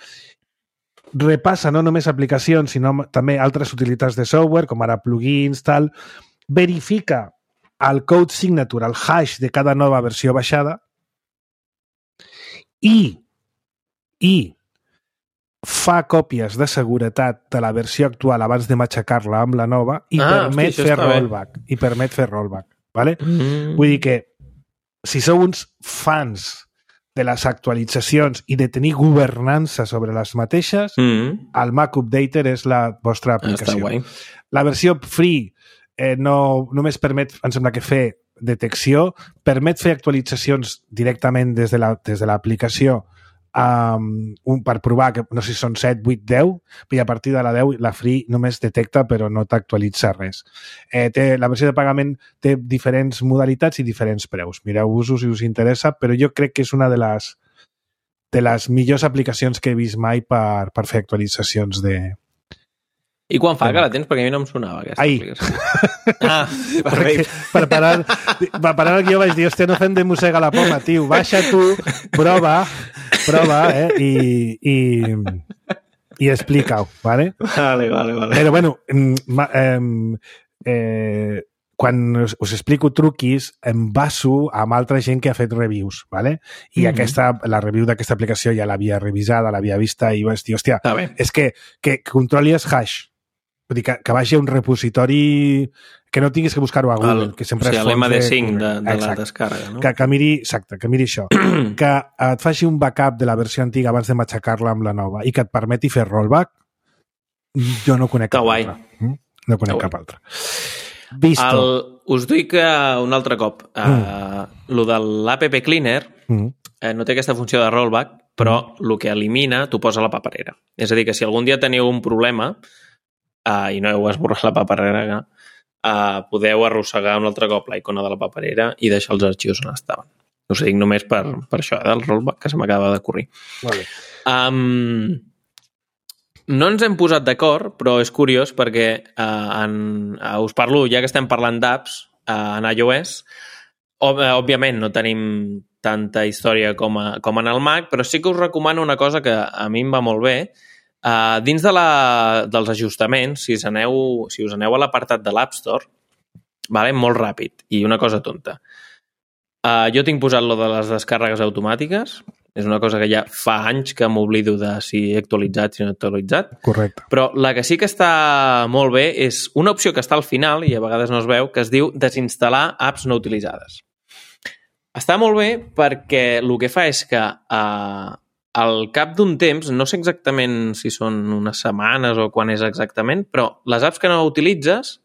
repassa no només aplicacions, sinó també altres utilitats de software, com ara plugins, tal, verifica el code signature, el hash de cada nova versió baixada i fa còpies de seguretat de la versió actual abans de matxacar-la amb la nova i permet fer rollback. I permet fer rollback. ¿Vale? Vull dir que si sou uns fans de les actualitzacions i de tenir governança sobre les mateixes, el Mac Updater és la vostra aplicació. La versió free només permet, em sembla que fer detecció, permet fer actualitzacions directament des de l'aplicació per provar que, no sé si són 7, 8, 10, i a partir de la 10 la free només detecta però no t'actualitza res. La versió de pagament té diferents modalitats i diferents preus. Mireu-vos-ho si us interessa, però jo crec que és una de les millors aplicacions que he vist mai per fer actualitzacions de... I quan fa que la tens? Perquè a mi no em sonava aquesta aplicació. Per parar el guió vaig dir, hòstia, no fem de mossega la poma, tio, baixa tu, prova, i explica-ho, ¿vale? Vale. Però, bueno, quan us explico truquis, em baso amb altra gent que ha fet reviews, ¿vale? I la review d'aquesta aplicació ja l'havia revisada, l'havia vista i vaig dir, hòstia, és que controli els hash. Vull dir, que vagi a un repositori que no tinguis que buscar-ho a Google, que sempre és l'MD5 de la descàrrega, no? Que miri això. Que et faci un backup de la versió antiga abans de matxacar-la amb la nova i que et permeti fer rollback, jo no conec cap altre. No conec cap altre. Visto. Us dic un altre cop. Lo de l'App Cleaner no té aquesta funció de rollback, però el que elimina t'ho posa a la paperera. És a dir, que si algun dia teniu un problema i no heu esborrat la paperera, podeu arrossegar un altre cop la icona de la paperera i deixar els arxius on estaven. Us ho dic només per això, del rollback, que se m'acaba de corrir. Vale. No ens hem posat d'acord, però és curiós perquè us parlo, ja que estem parlant d'apps en iOS, òbviament no tenim tanta història com en el Mac, però sí que us recomano una cosa que a mi em va molt bé. Dins dels ajustaments, si us aneu a l'apartat de l'App Store, molt ràpid, i una cosa tonta. Jo tinc posat lo de les descàrregues automàtiques, és una cosa que ja fa anys que m'oblido de si he actualitzat, si no he actualitzat. Correcte. Però la que sí que està molt bé és una opció que està al final, i a vegades no es veu, que es diu desinstal·lar apps no utilitzades. Està molt bé perquè el que fa és que al cap d'un temps, no sé exactament si són unes setmanes o quan és exactament, però les apps que no utilitzes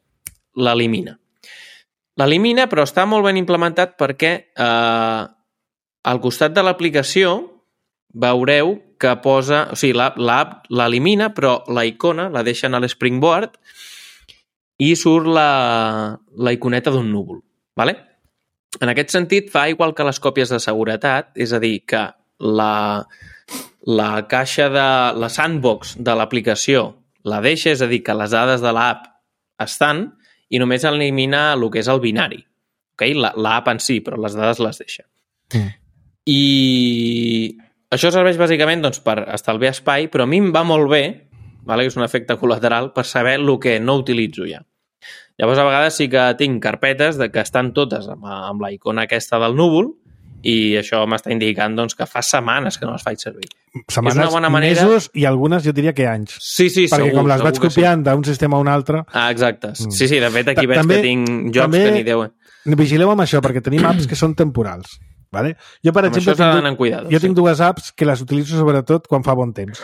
l'elimina. L'elimina, però està molt ben implementat perquè al costat de l'aplicació veureu que posa... O sigui, l'app l'elimina, però la icona la deixen a l'Springboard i surt la iconeta d'un núvol. ¿Vale? En aquest sentit, fa igual que les còpies de seguretat, és a dir, que la caixa de la sandbox de l'aplicació la deixa, és a dir, que les dades de l'app estan i només elimina el que és el binari. Okay? L'app en si, però les dades les deixa. I això serveix bàsicament per estalviar espai, però a mi em va molt bé, que és un efecte col·lateral, per saber el que no utilitzo ja. Llavors, a vegades sí que tinc carpetes que estan totes amb la icona aquesta del núvol i això m'està indicant doncs, que fa setmanes que no les faig servir. Setmanes, mesos i algunes jo diria que anys. Sí, perquè segur. Com les vaig copiant d'un sistema a un altre... Exacte. Sí, de fet aquí veig que tinc jocs que ni Déu. Vigileu amb això, perquè tenim apps que són temporals. Vale? Jo, per exemple, tinc dues apps que les utilitzo sobretot quan fa bon temps.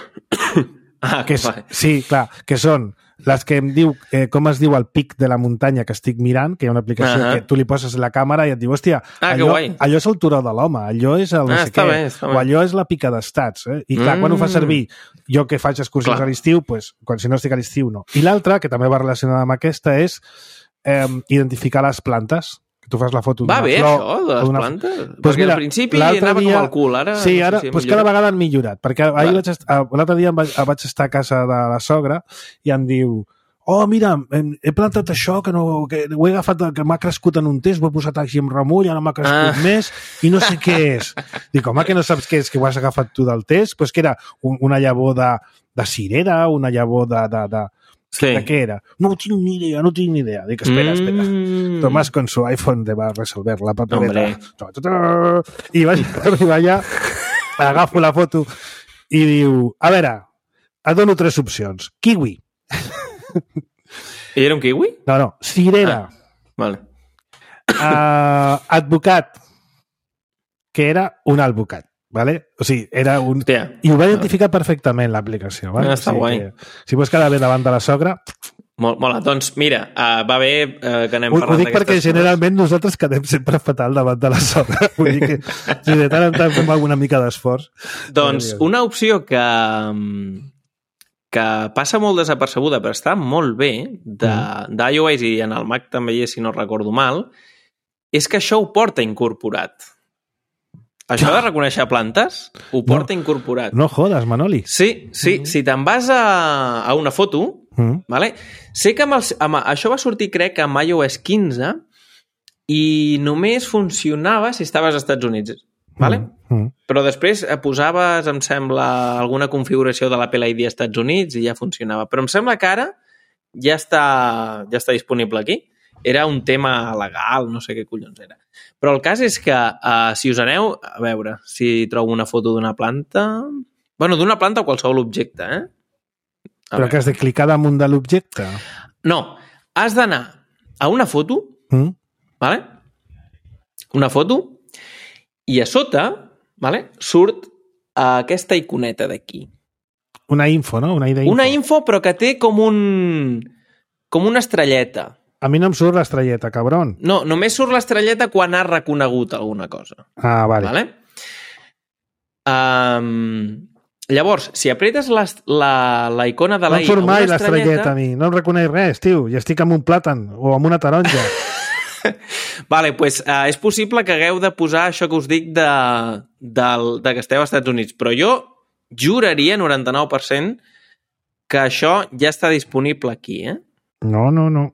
Sí, clar, que són les que em diu com es diu el pic de la muntanya que estic mirant, que hi ha una aplicació que tu li poses la càmera i et diu, hòstia, allò és el turó de l'home, allò és el no sé què, o allò és la pica d'estats. I clar, quan ho fa servir, jo que faig excursions a l'estiu, quan si no estic a l'estiu no. I l'altra, que també va relacionada amb aquesta, és identificar les plantes. Que tu fas la foto d'una flor... Va bé, això, de les plantes? Perquè al principi anava com al cul, ara... Sí, ara, cada vegada han millorat, perquè l'altre dia vaig estar a casa de la sogra i em diu, mira, he plantat això, que ho he agafat, que m'ha crescut en un test, ho he posat així amb remull, ara m'ha crescut més, i no sé què és. Dic, home, que no saps què és, que ho has agafat tu del test? Pues que era una llavor de cirera, una llavor de què era? No tinc ni idea. Dic, espera. Tomàs con su iPhone va resolver la papeleta. I vaig arribar allà, agafo la foto i diu, a veure, et dono 3 opcions. Kiwi. I era un kiwi? No, cirera. Vale. Advocat, que era un alvocat. Vale? O sigui, era un... I ho va identificar perfectament, l'aplicació. Vale? Està guai. Si vols quedar bé davant de la sogra... Molt, doncs mira, va bé que anem parlant d'aquestes coses. Ho dic perquè generalment nosaltres quedem sempre fatal davant de la sogra. Vull dir que si de tant en tant fem alguna mica d'esforç... Doncs una opció que passa molt desapercebuda, però està molt bé, d'iOS i en el Mac també hi és, si no recordo mal, és que això ho porta incorporat. Això de reconèixer plantes ho porta incorporat. No jodes, Manoli. Sí. Si te'n vas a una foto, vale? Sé que això va sortir, crec, amb iOS 15 i només funcionava si estaves als Estats Units. Vale? Però després posaves, em sembla, alguna configuració de l'Apple ID als Estats Units i ja funcionava. Però em sembla que ara ja està disponible aquí. Era un tema legal, no sé què collons era. Però el cas és que si us aneu... A veure si trobo una foto d'una planta... Bueno, d'una planta o qualsevol objecte, Però que has de clicar damunt de l'objecte? No, has d'anar a una foto, vale? Una foto, i a sota, vale, surt aquesta iconeta d'aquí. Una info, no? Una idea info. Una info, però que té com una estrelleta. A mi no em surt l'estrelleta, cabron. No, només surt l'estrelleta quan has reconegut alguna cosa. Ah, vale. Llavors, si apretes la icona de no em surt mai l'estrelleta a mi, no em reconeix res, tio, i estic amb un plàtan o amb una taronja. Vale, doncs és possible que hagueu de posar això que us dic de que esteu als Estats Units, però jo juraria 99% que això ja està disponible aquí, No.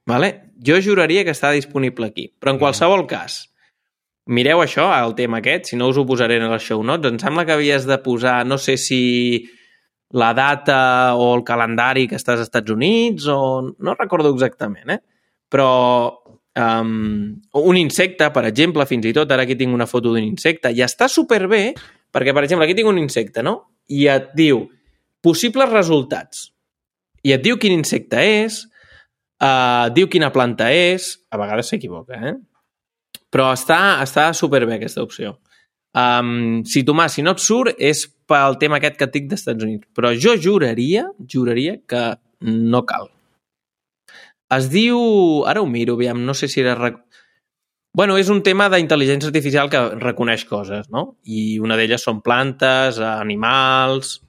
Vale? Jo juraria que està disponible aquí. Però en qualsevol cas, mireu això, el tema aquest, si no us ho posaré en els show notes. Em sembla que havies de posar, no sé si la data o el calendari que estàs als Estats Units o... No recordo exactament, Però un insecte, per exemple, fins i tot, ara aquí tinc una foto d'un insecte, i està superbé, perquè, per exemple, aquí tinc un insecte, no? I et diu possibles resultats. I et diu quin insecte és, diu quina planta és, a vegades s'equivoca, però està superbé aquesta opció. Si Tomàs, si no et surt és pel tema aquest que et dic dels Estats Units, però jo juraria que no cal. Es diu... Ara ho miro, aviam, no sé si era... Bueno, és un tema d'intel·ligència artificial que reconeix coses, no? I una d'elles són plantes, animals...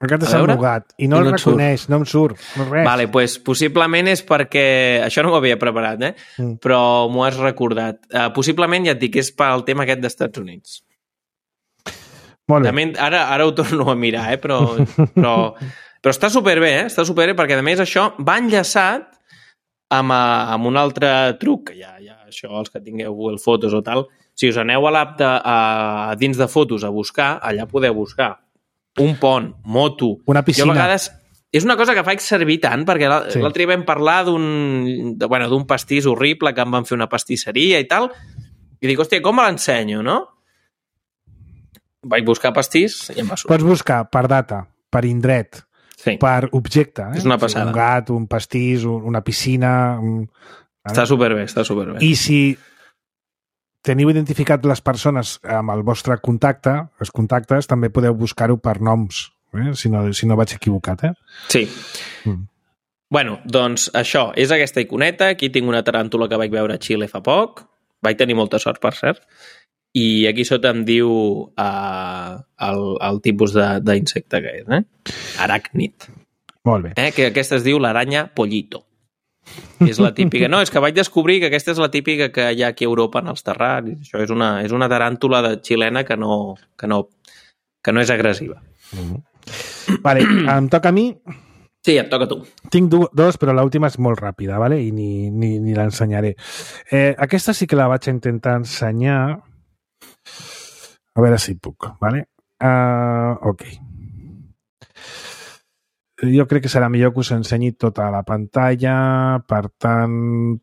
Aquest és embogat i no el reconeix, no em surt, no res. Vale, doncs possiblement és perquè... Això no m'ho havia preparat, però m'ho has recordat. Possiblement, ja et dic, és pel tema aquest dels Estats Units. Molt bé. També, ara ho torno a mirar, però està superbé, Està superbé perquè, a més, això va enllaçat amb un altre truc, que ja això, els que tingueu Google Fotos o tal, si us aneu a l'app dins de fotos a buscar, allà podeu buscar un pont, moto... Una piscina. Jo a vegades... és una cosa que faig servir tant, perquè l'altre dia vam parlar d'un pastís horrible que em van fer una pastisseria i tal, i dic, hòstia, com me l'ensenyo, no? Vaig buscar pastís i em va sortir. Pots buscar per data, per indret, per objecte. És una passada. Un gat, un pastís, una piscina... Està superbé, està superbé. I si teniu identificat les persones amb el vostre contacte, els contactes, també podeu buscar-ho per noms, si no vaig equivocat, Sí. Bueno, doncs això, és aquesta iconeta. Aquí tinc una taràntula que vaig veure a Xile fa poc. Vaig tenir molta sort, per cert. I aquí sota em diu el tipus d'insecte que és, aràcnid. Molt bé. Que aquesta es diu l'aranya pollito. És la típica. No, és que vaig descobrir que aquesta és la típica que hi ha aquí a Europa en els terraris. Això és una taràntula xilena que no és agressiva. Vale, em toca a mi. Sí, et toca a tu. Tinc dos, però l'última és molt ràpida, vale? I ni l'ensenyaré. Aquesta sí que la vaig intentar ensenyar. A veure si puc, vale? Ok. Jo crec que serà millor que us ensenyi tota la pantalla. Per tant,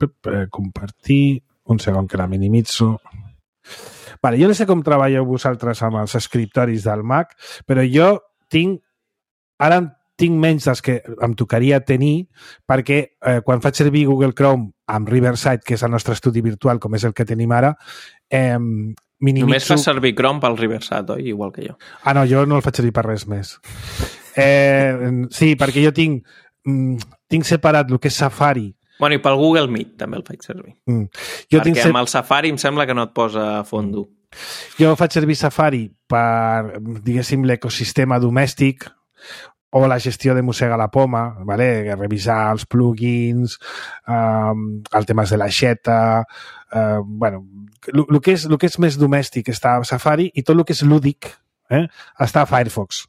compartir. Un segon que la minimitzo. Vale, jo no sé com treballeu vosaltres amb els escriptoris del Mac, però jo ara tinc menys dels que em tocaria tenir, perquè quan faig servir Google Chrome amb Riverside, que és el nostre estudi virtual, com és el que tenim ara, minimitzo... Només fas servir Chrome pel Riverside, oi? Igual que jo. Ah, no, jo no el faig servir per res més. Sí, perquè jo tinc separat el que és Safari. Bueno, i pel Google Meet també el faig servir. Perquè amb el Safari em sembla que no et posa a fondo. Jo faig servir Safari per, diguéssim, l'ecosistema domèstic o la gestió de mossega la poma, vale? Revisar els plugins, el tema de l'aixeta, bueno, el que és més domèstic està a Safari i tot el que és lúdic està a Firefox.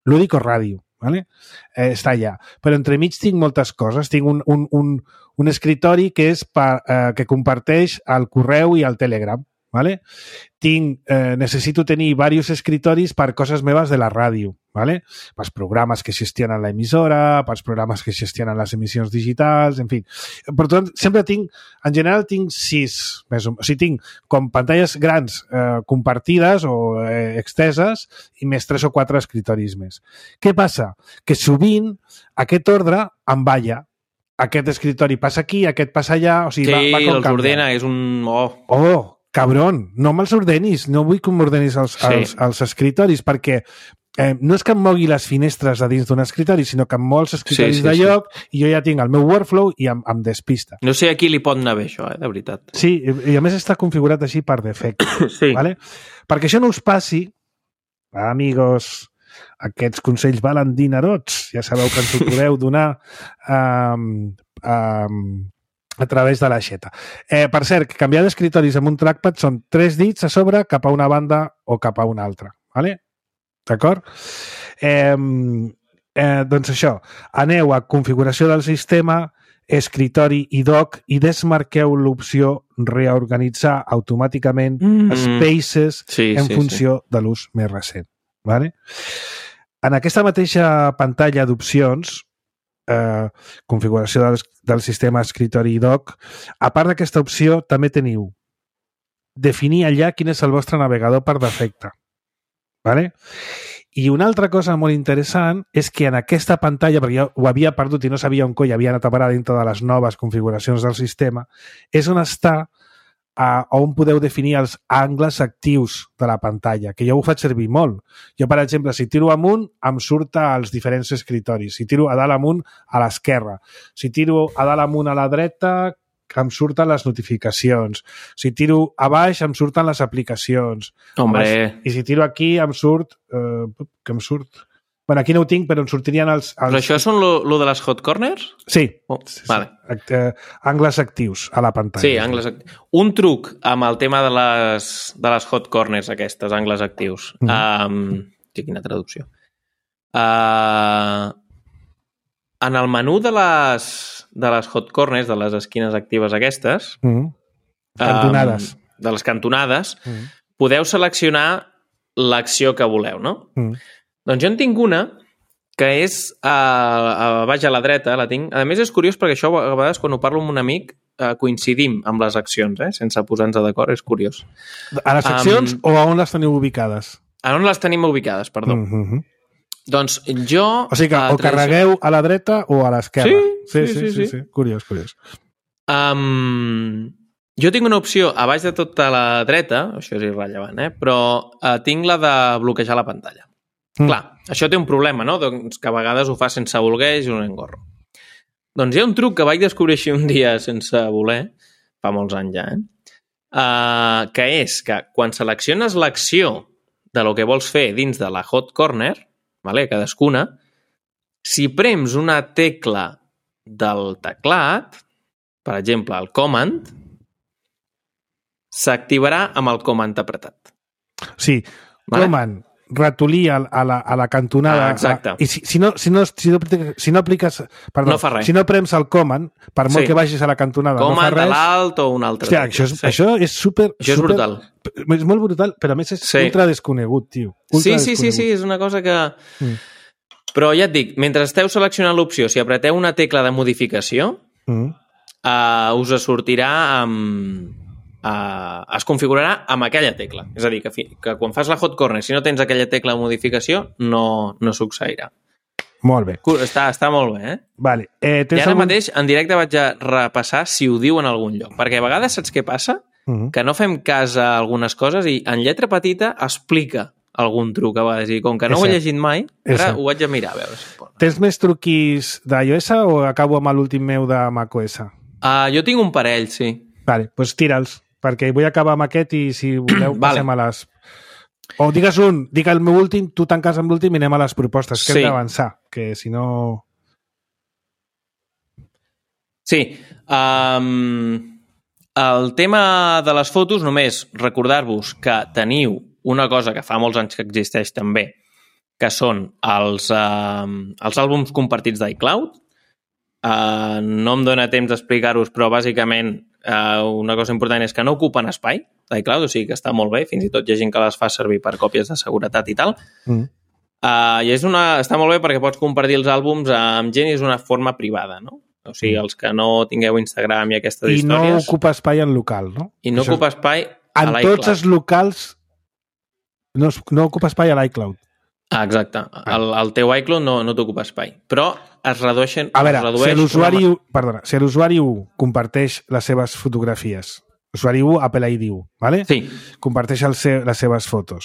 Lúdic o ràdio, ¿vale? Està allà. Però entremig tinc moltes coses. Tinc un escritori que que comparteix el correu i el Telegram, ¿vale? Necessito tenir diversos escritoris per coses meves de la ràdio, ¿vale? Pels programes que gestionen l'emissora, pels programes que gestionen les emissions digitals, en fi. Per tant, sempre en general tinc 6, o sigui, tinc com pantalles grans compartides o exteses i més 3 o 4 escritoris més. Què passa? Que sovint aquest ordre em balla. Aquest escritori passa aquí, aquest passa allà, o sigui, va com els ordena, és un... Cabron, no me'ls ordenis, no vull que m'ordenis els escritoris, perquè no és que em mogui les finestres a dins d'un escritori, sinó que em mou els escritoris de lloc i jo ja tinc el meu workflow i em despista. No sé a qui li pot anar bé això, de veritat. Sí, i a més està configurat així per defecte. Sí. ¿Vale? Perquè això no us passi, amigos, aquests consells valen dinarots, ja sabeu que ens ho podeu donar a través de l'aixeta. Per cert, canviar d'escritoris amb un trackpad són 3 dits a sobre cap a una banda o cap a una altra. ¿Vale? D'acord? Doncs això, aneu a configuració del sistema, escritori i doc i desmarqueu l'opció reorganitzar automàticament spaces en funció de l'ús més recent. ¿Vale? En aquesta mateixa pantalla d'opcions, configuració del sistema escritori i doc, a part d'aquesta opció també teniu definir allà quin és el vostre navegador per defecte. ¿Vale? I una altra cosa molt interessant és que en aquesta pantalla, perquè jo ho havia perdut i no sabia on coi havia anat a parar dintre de les noves configuracions del sistema, és on està on podeu definir els angles actius de la pantalla, que jo ho faig servir molt. Jo, per exemple, si tiro amunt, em surt als diferents escritoris. Si tiro a dalt amunt, a l'esquerra. Si tiro a dalt amunt a la dreta, em surten les notificacions. Si tiro a baix, em surten les aplicacions. Hombre! I si tiro aquí, em surt... què em surt? Bueno, aquí no ho tinc, però em sortirien els... Però això són lo de les hot corners? Sí. Sí. Vale. Angles actius a la pantalla. Sí, angles actius. Un truc amb el tema de les hot corners aquestes, angles actius. Quina traducció. En el menú de les hot corners, de les esquines actives aquestes... Cantonades. De les cantonades, podeu seleccionar l'acció que voleu, no? Doncs jo en tinc una que és baix a la dreta, la tinc. A més, és curiós perquè això, a vegades, quan ho parlo amb un amic, coincidim amb les accions, sense posar-nos d'acord, és curiós. A les accions o a on les teniu ubicades? A on les tenim ubicades, perdó. Doncs jo... O sigui que o carregueu a la dreta o a l'esquerra. Sí. Curiós. Jo tinc una opció a baix de tota la dreta, això és irrellevant, però tinc la de bloquejar la pantalla. Clar, això té un problema, no? Doncs que a vegades ho fa sense voler i és un engorro. Doncs hi ha un truc que vaig descobrir així un dia sense voler, fa molts anys ja, que és que quan selecciones l'acció de lo que vols fer dins de la hot corner, cadascuna, si prems una tecla del teclat, per exemple, el command, s'activarà amb el command apretat. Sí, command, ratolí a la cantonada. Exacte. I si no apliques... Perdó, no fa res. Si no prems el command, per molt que vagis a la cantonada, command no fa res... a l'alt o un altre. Hòstia, això és super... Això és brutal. És molt brutal, però a més és ultra desconegut, tio. Sí, és una cosa que... Però ja et dic, mentre esteu seleccionant l'opció, si apreteu una tecla de modificació, us sortirà es configurarà amb aquella tecla. És a dir, que quan fas la hot corner, si no tens aquella tecla de modificació, no succeirà. Molt bé. Està molt bé, Vale. I ara mateix, en directe, vaig a repassar si ho diu en algun lloc. Perquè a vegades saps què passa? Que no fem cas a algunes coses i en lletra petita explica algun truc a vegades. I com que no ho he llegit mai, ara ho vaig a mirar a veure si pot. Tens més truquis d'iOS o acabo amb l'últim meu de macOS? Jo tinc un parell, sí. Vale, doncs tira'ls, perquè vull acabar amb aquest i si voleu passem a les... O digues digue el meu últim, tu tanques amb l'últim i anem a les propostes, que hem d'avançar, que si no... Sí, el tema de les fotos, només recordar-vos que teniu una cosa que fa molts anys que existeix també, que són els àlbums compartits d'iCloud. No em dóna temps d'explicar-vos, però bàsicament una cosa important és que no ocupen espai d'iCloud, o sigui que està molt bé, fins i tot hi ha gent que les fa servir per còpies de seguretat i tal. I està molt bé perquè pots compartir els àlbums amb gent i és una forma privada, no? O sigui, els que no tingueu Instagram i aquestes històries... I no ocupa espai en local, no? I no ocupa espai a l'iCloud. En tots els locals no ocupa espai a l'iCloud. Exacte. El teu iCloud no t'ocupa espai. Però es redueixen... A veure, si l'usuari 1 comparteix les seves fotografies, usuari 1, Apple ID 1, ¿vale? Sí. Comparteix les seves fotos.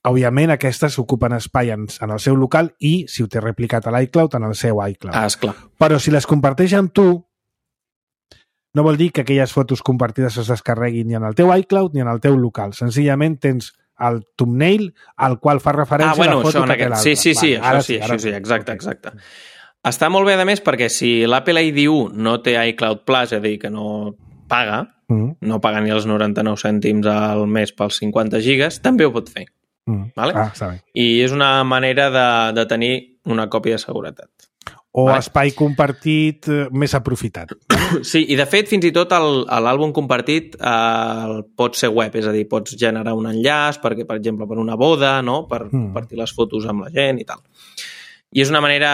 Òbviament, aquestes ocupen espai en el seu local i, si ho té replicat a l'iCloud, en el seu iCloud. Esclar. Però si les comparteix amb tu, no vol dir que aquelles fotos compartides es descarreguin ni en el teu iCloud ni en el teu local. Senzillament tens el thumbnail al qual fa referència la foto que té l'altre. Sí, això sí, exacte. Està molt bé, a més, perquè si l'Apple ID 1 no té iCloud Plus, és a dir, que no paga, no paga ni els 99 cèntims al mes pels 50 gigas, també ho pot fer. Vale? I és una manera de tenir una còpia de seguretat. O espai compartit més aprofitat. Sí, i de fet fins i tot l'àlbum compartit pot ser web, és a dir, pots generar un enllaç perquè, per exemple, per una boda, no? Per compartir les fotos amb la gent i tal. I és una manera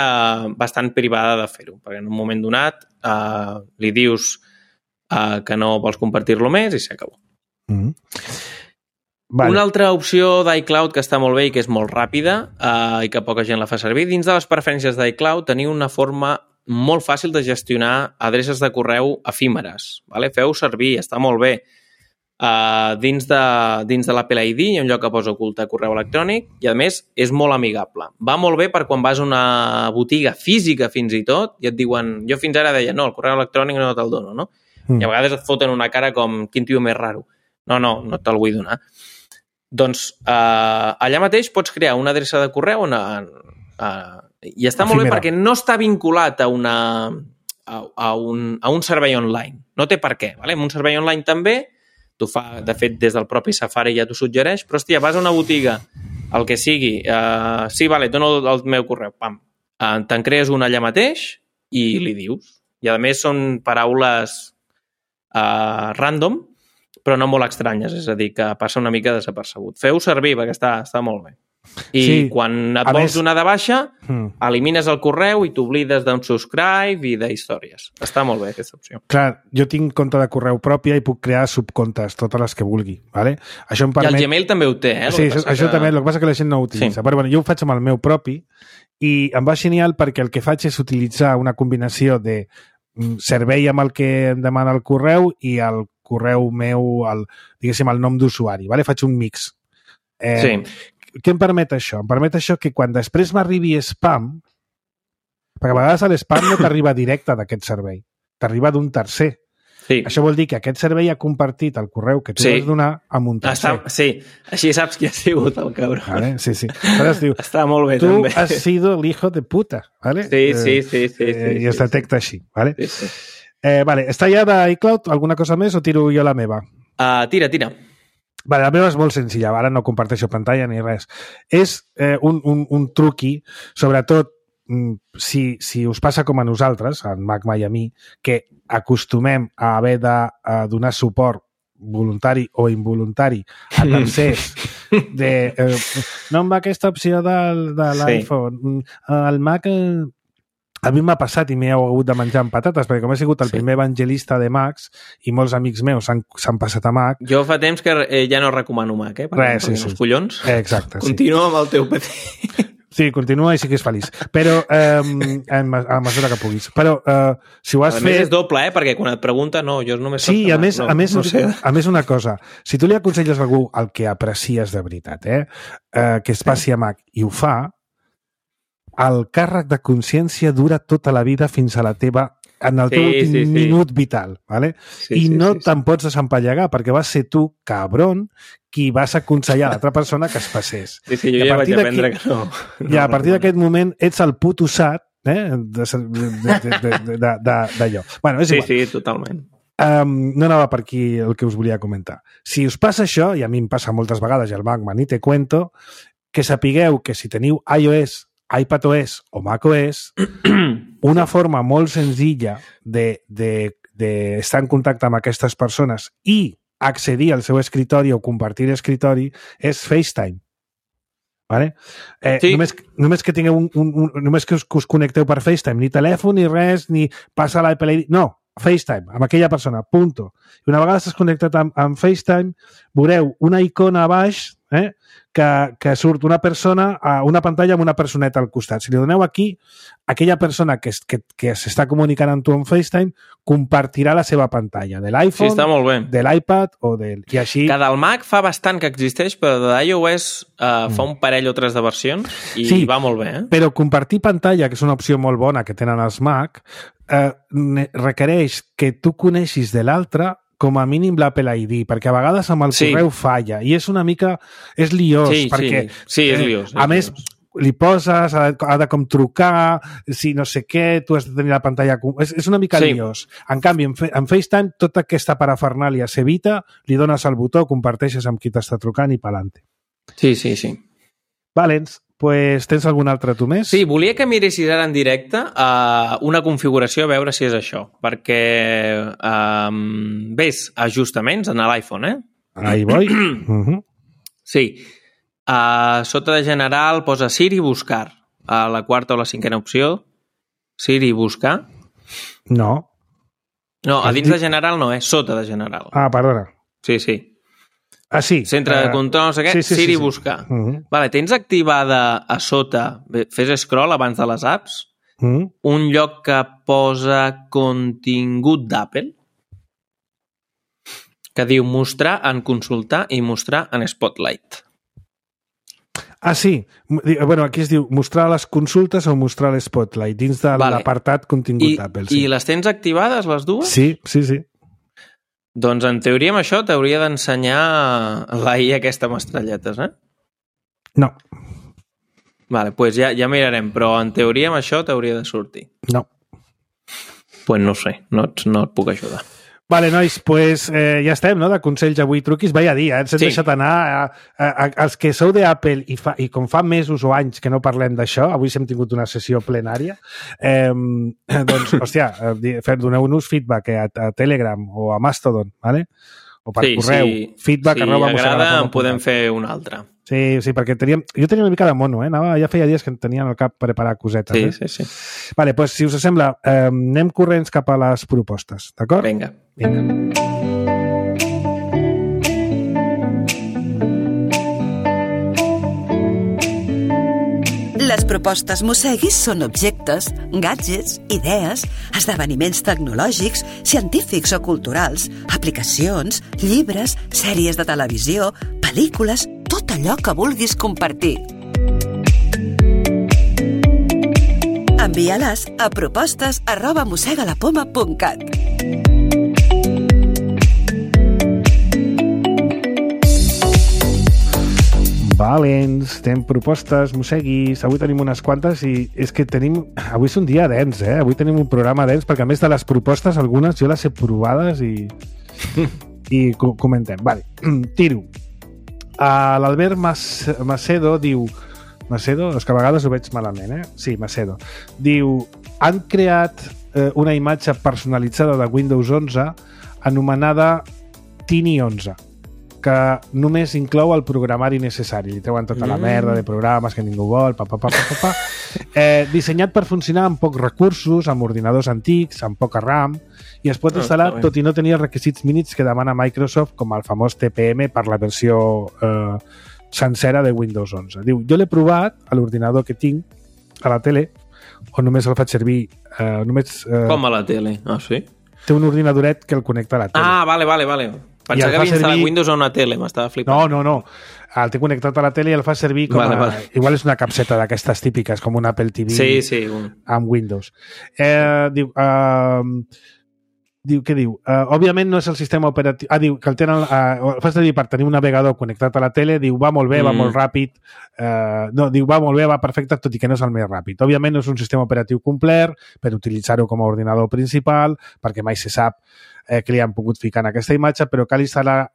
bastant privada de fer-ho, perquè en un moment donat li dius que no vols compartir-lo més i s'acabó. Vale. Una altra opció d'iCloud que està molt bé i que és molt ràpida i que poca gent la fa servir, dins de les preferències d'iCloud teniu una forma molt fàcil de gestionar adreces de correu efímeres. Vale? Feu servir, està molt bé. Dins de l'Apple ID hi ha un lloc que posa ocultar correu electrònic i, a més, és molt amigable. Va molt bé per quan vas a una botiga física fins i tot i et diuen... Jo fins ara deia, no, el correu electrònic no te'l dono, no? I a vegades et foten una cara com, quin tio més raro. No te'l vull donar. Doncs allà mateix pots crear una adreça de correu i està molt bé perquè no està vinculat a un servei online. No té per què. Vale? En un servei online també, t'ho fa, de fet, des del propi Safari ja t'ho suggereix, però, hòstia, vas a una botiga, el que sigui, sí, vale, dono el meu correu, pam. Te'n crees un allà mateix i li dius. I, a més, són paraules random, però no molt estranyes, és a dir, que passa una mica desapercebut. Feu servir, perquè està molt bé. I quan et vols donar de baixa, elimines el correu i t'oblides d'unsubscribe i d'històries. Està molt bé, aquesta opció. Clar, jo tinc compte de correu pròpia i puc crear subcomptes, totes les que vulgui. Vale? Això em permet... I el Gmail també ho té, Sí, això també, el que passa que la gent no ho utilitza. Però bueno, jo ho faig amb el meu propi i em va genial perquè el que faig és utilitzar una combinació de servei amb el que em demana el correu i el correu meu, diguéssim, el nom d'usuari. Vale? Faig un mix. Sí. Què em permet això? Em permet això que quan després m'arribi spam, perquè a vegades l'spam no t'arriba directe d'aquest servei, t'arriba d'un tercer. Sí. Això vol dir que aquest servei ha compartit el correu que tu vas donar amb un tercer. Sí, així saps qui ha sigut el cabrón. Vale? Sí. Diu, està molt bé, tu també. has sido el hijo de puta. Vale? Sí. I es detecta així. Vale? Sí. Vale, està ja d'iCloud? Alguna cosa més o tiro jo la meva? Tira. Vale, la meva és molt senzilla, ara no comparteixo pantalla ni res. És un truqui, sobretot si us passa com a nosaltres, en Mac i a mi, que acostumem a haver de donar suport voluntari o involuntari a tercers no em va aquesta opció de l'iPhone. El Mac... A mi m'ha passat i m'he hagut de menjar amb patates, perquè com he sigut el primer evangelista de Macs i molts amics meus s'han passat a Mac... Jo fa temps que ja no recomano Mac, perquè els collons. Exacte, Continua amb el teu PC. Sí, continua i siguis feliç. Però, a mesura que puguis. Però, si ho has fet... A més és doble, perquè quan et pregunta, no, jo només... Sí, a més una cosa. Si tu li aconselles a algú el que aprecies de veritat, que es passi a Mac i ho fa, el càrrec de consciència dura tota la vida fins a la teva en el teu últim minut vital, ¿vale? I no te'n pots desempallegar perquè vas ser tu, cabron, qui vas aconsellar a l'altra persona que es passés. Sí, jo ja vaig aprendre que no. I a partir d'aquest moment ets el puto sat d'allò. Bueno, és igual. Sí, totalment. No anava per aquí el que us volia comentar. Si us passa això, i a mi em passa moltes vegades, i al Mac ni te cuento, que sapigueu que si teniu iOS, iPadOS o macOS, una forma molt senzilla d'estar en contacte amb aquestes persones i accedir al seu escritori o compartir escritori és FaceTime. Vale? Només que tingueu només que us connecteu per FaceTime, ni telèfon, ni res, ni passa l'Apple ID, no, FaceTime, amb aquella persona, punto. I una vegada estàs connectat amb FaceTime, veureu una icona a baix que surt una persona a una pantalla amb una personeta al costat. Si li doneu aquí, aquella persona que s'està comunicant amb tu en FaceTime compartirà la seva pantalla de l'iPhone, de l'iPad o del... I així... Que del Mac fa bastant que existeix, però de iOS fa un parell o tres de versions i va molt bé. Però compartir pantalla, que és una opció molt bona que tenen els Mac, requereix que tu coneixis de l'altre com a mínim l'Apple ID, perquè a vegades amb el correu falla, i és una mica... És liós, perquè... Sí, és liós. A més, li poses, ha de com trucar, si no sé què, tu has de tenir la pantalla... És una mica liós. En canvi, en FaceTime, tota aquesta parafernàlia s'evita, li dones el botó, comparteixes amb qui t'està trucant i pa'lante. Sí. Valents. Pues, tens algun altre tu més? Sí, volia que miressis ara en directe una configuració a veure si és això, perquè ves ajustaments en l'iPhone, Ahí voy. Sí. Sota de general posa Siri buscar. A la quarta o la cinquena opció, Siri buscar. No. No, a dins de general no, sota de general. Perdona. Sí. Sí. Centre de control, no sé què, Siri buscar. Vale, tens activada a sota, fes scroll abans de les apps, un lloc que posa contingut d'Apple, que diu mostrar en consultar i mostrar en Spotlight. Sí. Bueno, aquí es diu mostrar les consultes o mostrar l'Spotlight dins de l'apartat contingut d'Apple. I les tens activades, les dues? Sí. Doncs en teoria amb això t'hauria d'ensenyar l'AI aquesta amb estrelletes, No. Vale, doncs ja mirarem, però en teoria amb això t'hauria de sortir. No. Doncs no sé, no et puc ajudar. Vale, nois, pues ja estem, no?, de consells avui truquis. Vaya dia, ens hem deixat anar. Els que sou d'Apple i com fa mesos o anys que no parlem d'això, avui hem tingut una sessió plenària, doncs, hòstia, doneu-nos feedback a Telegram o a Mastodon, ¿vale? O per correu. Feedback si agrada, en podem fer un altre. Sí, perquè jo tenia una mica de mono, ja feia dies que em tenia en el cap preparar cosetes. Sí. Vale, doncs si us sembla, anem corrents cap a les propostes, d'acord? Vinga. Les propostes Mosseguis són objectes, gadgets, idees, esdeveniments tecnològics, científics o culturals, aplicacions, llibres, sèries de televisió, pel·lícules, tot allò que vulguis compartir. Envia-les a propostes@mossegalapoma.cat. Valents, tenim propostes, mosseguis, avui tenim unes quantes i és que avui és un dia dens, avui tenim un programa dens perquè a més de les propostes, algunes jo les he provades i comentem. Vale, tiro. L'Albert Macedo diu... Macedo? És que a vegades ho veig malament, Sí, Macedo. Diu, han creat una imatge personalitzada de Windows 11 anomenada Tiny 11, que només inclou el programari necessari. Li treuen tota la merda de programes que ningú vol, dissenyat per funcionar amb pocs recursos, amb ordinadors antics, amb poca RAM, i es pot instal·lar tot i no tenir els requisits mínims que demana Microsoft, com el famós TPM per la versió sencera de Windows 11. Diu, jo l'he provat a l'ordinador que tinc a la tele, on només el faig servir... Com a la tele? Ah, sí? Té un ordinadoret que el connecta a la tele. Ah, vale. Pensava que havia instal·lat Windows a una tele, m'estava flipant. No. El té connectat a la tele i el fa servir com Igual és una capseta d'aquestes típiques, com un Apple TV amb Windows. Què diu? Òbviament no és el sistema operatiu... diu que el tenen... el fa servir per tenir un navegador connectat a la tele, diu, va molt bé, va molt ràpid... va molt bé, va perfecte, tot i que no és el més ràpid. Òbviament no és un sistema operatiu complet per utilitzar-ho com a ordinador principal, perquè mai se sap que li han pogut ficar en aquesta imatge, però cal instal·lar...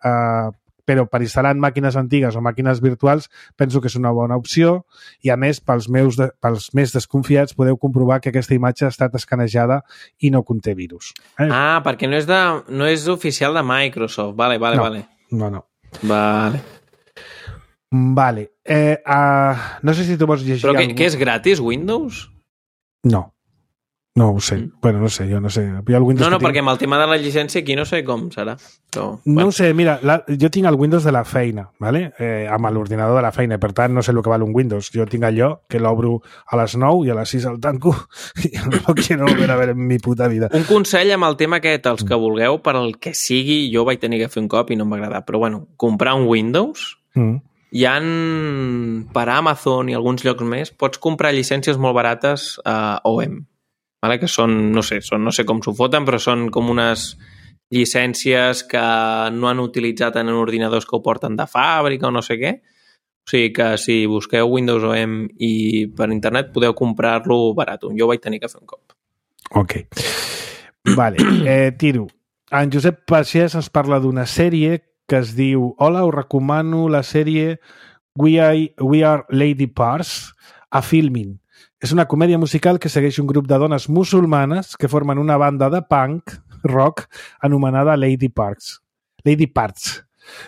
però per instal·lar en màquines antigues o màquines virtuals penso que és una bona opció i a més pels més desconfiats podeu comprovar que aquesta imatge ha estat escanejada i no conté virus. Perquè no és oficial de Microsoft. Vale. No. Vale. No sé si tu vols llegir... Però què és gratis, Windows? No ho sé. Bueno, no sé, jo no sé. Perquè amb el tema de la llicència aquí no sé com serà. No ho sé, mira, jo tinc el Windows de la feina, ¿vale? Amb l'ordinador de la feina, per tant no sé el que val un Windows. Jo tinc allò que l'obro a les 9 i a les 6 el tanco i no quiero volver a ver en mi puta vida. Un consell amb el tema aquest, els que vulgueu, per el que sigui, jo vaig tenir que fer un cop i no em va agradar, però bueno, comprar un Windows... Hi ha per Amazon i alguns llocs més, pots comprar llicències molt barates a OEM. Vale? Que són, no sé com s'ho foten, però són com unes llicències que no han utilitzat en ordinadors que ho porten de fàbrica o no sé què. O sigui que si busqueu Windows OEM i per internet podeu comprar-lo barat. Jo ho vaig tenir que fer un cop. Ok. Vale, tiro. En Josep Pagès ens parla d'una sèrie que es diu Hola, us recomano la sèrie We Are Lady Parts a Filmin. És una comèdia musical que segueix un grup de dones musulmanes que formen una banda de punk rock anomenada Lady Parts.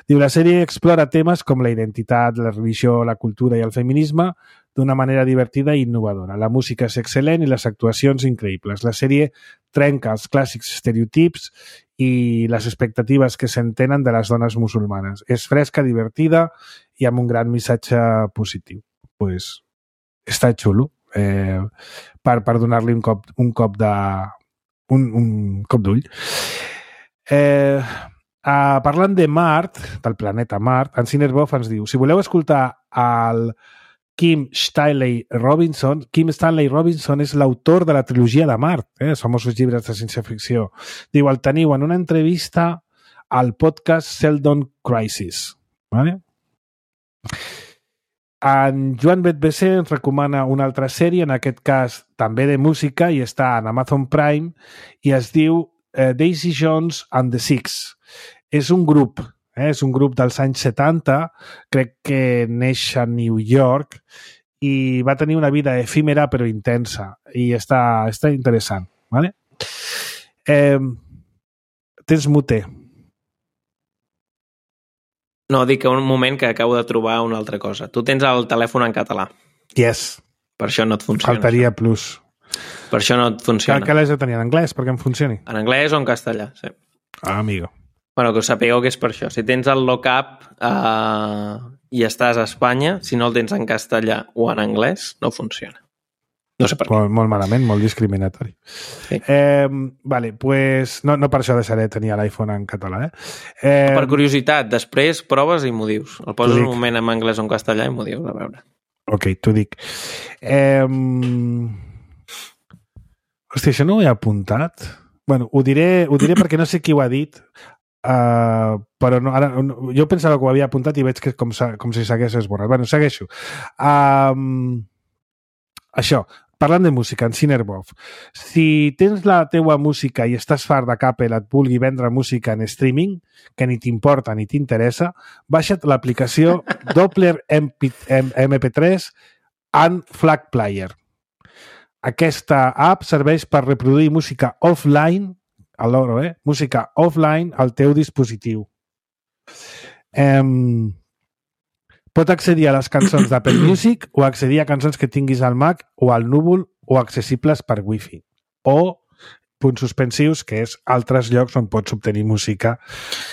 Diu, la sèrie explora temes com la identitat, la religió, la cultura i el feminisme d'una manera divertida i innovadora. La música és excel·lent i les actuacions increïbles. La sèrie trenca els clàssics estereotips i les expectatives que se'n tenen de les dones musulmanes. És fresca, divertida i amb un gran missatge positiu. Pues, està xulo. Per donar-li un cop d'ull. Parlant de Mart, del planeta Mart, en Cinerbov ens diu, si voleu escoltar el Kim Stanley Robinson és l'autor de la trilogia de Mart, els famosos llibres de ciència-ficció. Diu, el teniu en una entrevista al podcast Seldon Crisis. Vale? En Joan Betbc ens recomana una altra sèrie, en aquest cas també de música, i està en Amazon Prime, i es diu Daisy Jones and the Six. És un grup dels anys 70, crec que neix a New York, i va tenir una vida efímera però intensa, i està interessant. Vale? Tens mute. No, dic que un moment que acabo de trobar una altra cosa. Tu tens el telèfon en català. Yes. Per això no et funciona. Faltaria plus. Per això no et funciona. Que l'has de tenir en anglès perquè em funcioni. En anglès o en castellà, sí. Ah, amigo. Bueno, que us sapigueu que és per això. Si tens el lookup i estàs a Espanya, si no el tens en castellà o en anglès, no funciona. No sé per què. Molt malament, molt discriminatori. Sí. Vale, pues no per això deixaré de tenir l'iPhone en català. Per curiositat, després proves i m'ho dius. El poses dic. un moment en anglès o en castellà i m'ho dius, a veure. Ok, t'ho dic. Hòstia, això no ho he apuntat. Bueno, ho diré perquè no sé qui ho ha dit, però no, ara, jo pensava que ho havia apuntat i veig que és com si s'hagués esborrat. Bueno, segueixo. Això, parlant de música, en Cinerbov, si tens la teua música i estàs fart de que Apple et vulgui vendre música en streaming, que ni t'importa ni t'interessa, baixa't l'aplicació Doppler MP3 and Flag Player. Aquesta app serveix per reproduir música offline, a l'oro, música offline al teu dispositiu. Pot accedir a les cançons d'Apple Music o accedir a cançons que tinguis al Mac o al núvol o accessibles per Wi-Fi. O punts suspensius, que és altres llocs on pots obtenir música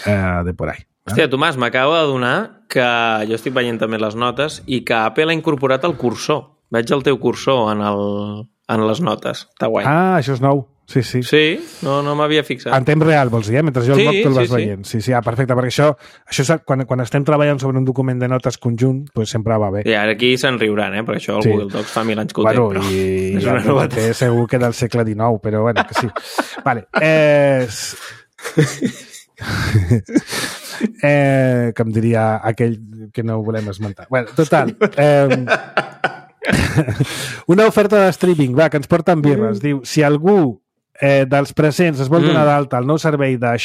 de por ahí. Hòstia, Tomàs, m'acabo d'adonar que jo estic veient també les notes i que Apple ha incorporat el cursor. Veig el teu cursor en les notes. Està guai. Ah, això és nou. Sí, sí. Sí? No m'havia fixat. En temps real, vols dir, mentre jo el moc te'l vas sí. veient. Sí, sí, perfecte, perquè això quan estem treballant sobre un document de notes conjunt, pues sempre va bé. I ara aquí se'n riuran, perquè això el Google Docs fa 1000 anys que ho té, però i és una novetat. Segur que del segle XIX, però bueno, que sí. Vale. Que em diria aquell que no volem esmentar. Bueno, total. Una oferta de streaming, va, que ens porten birres. Diu, si algú dels presents es vol donar d'alta al nou servei de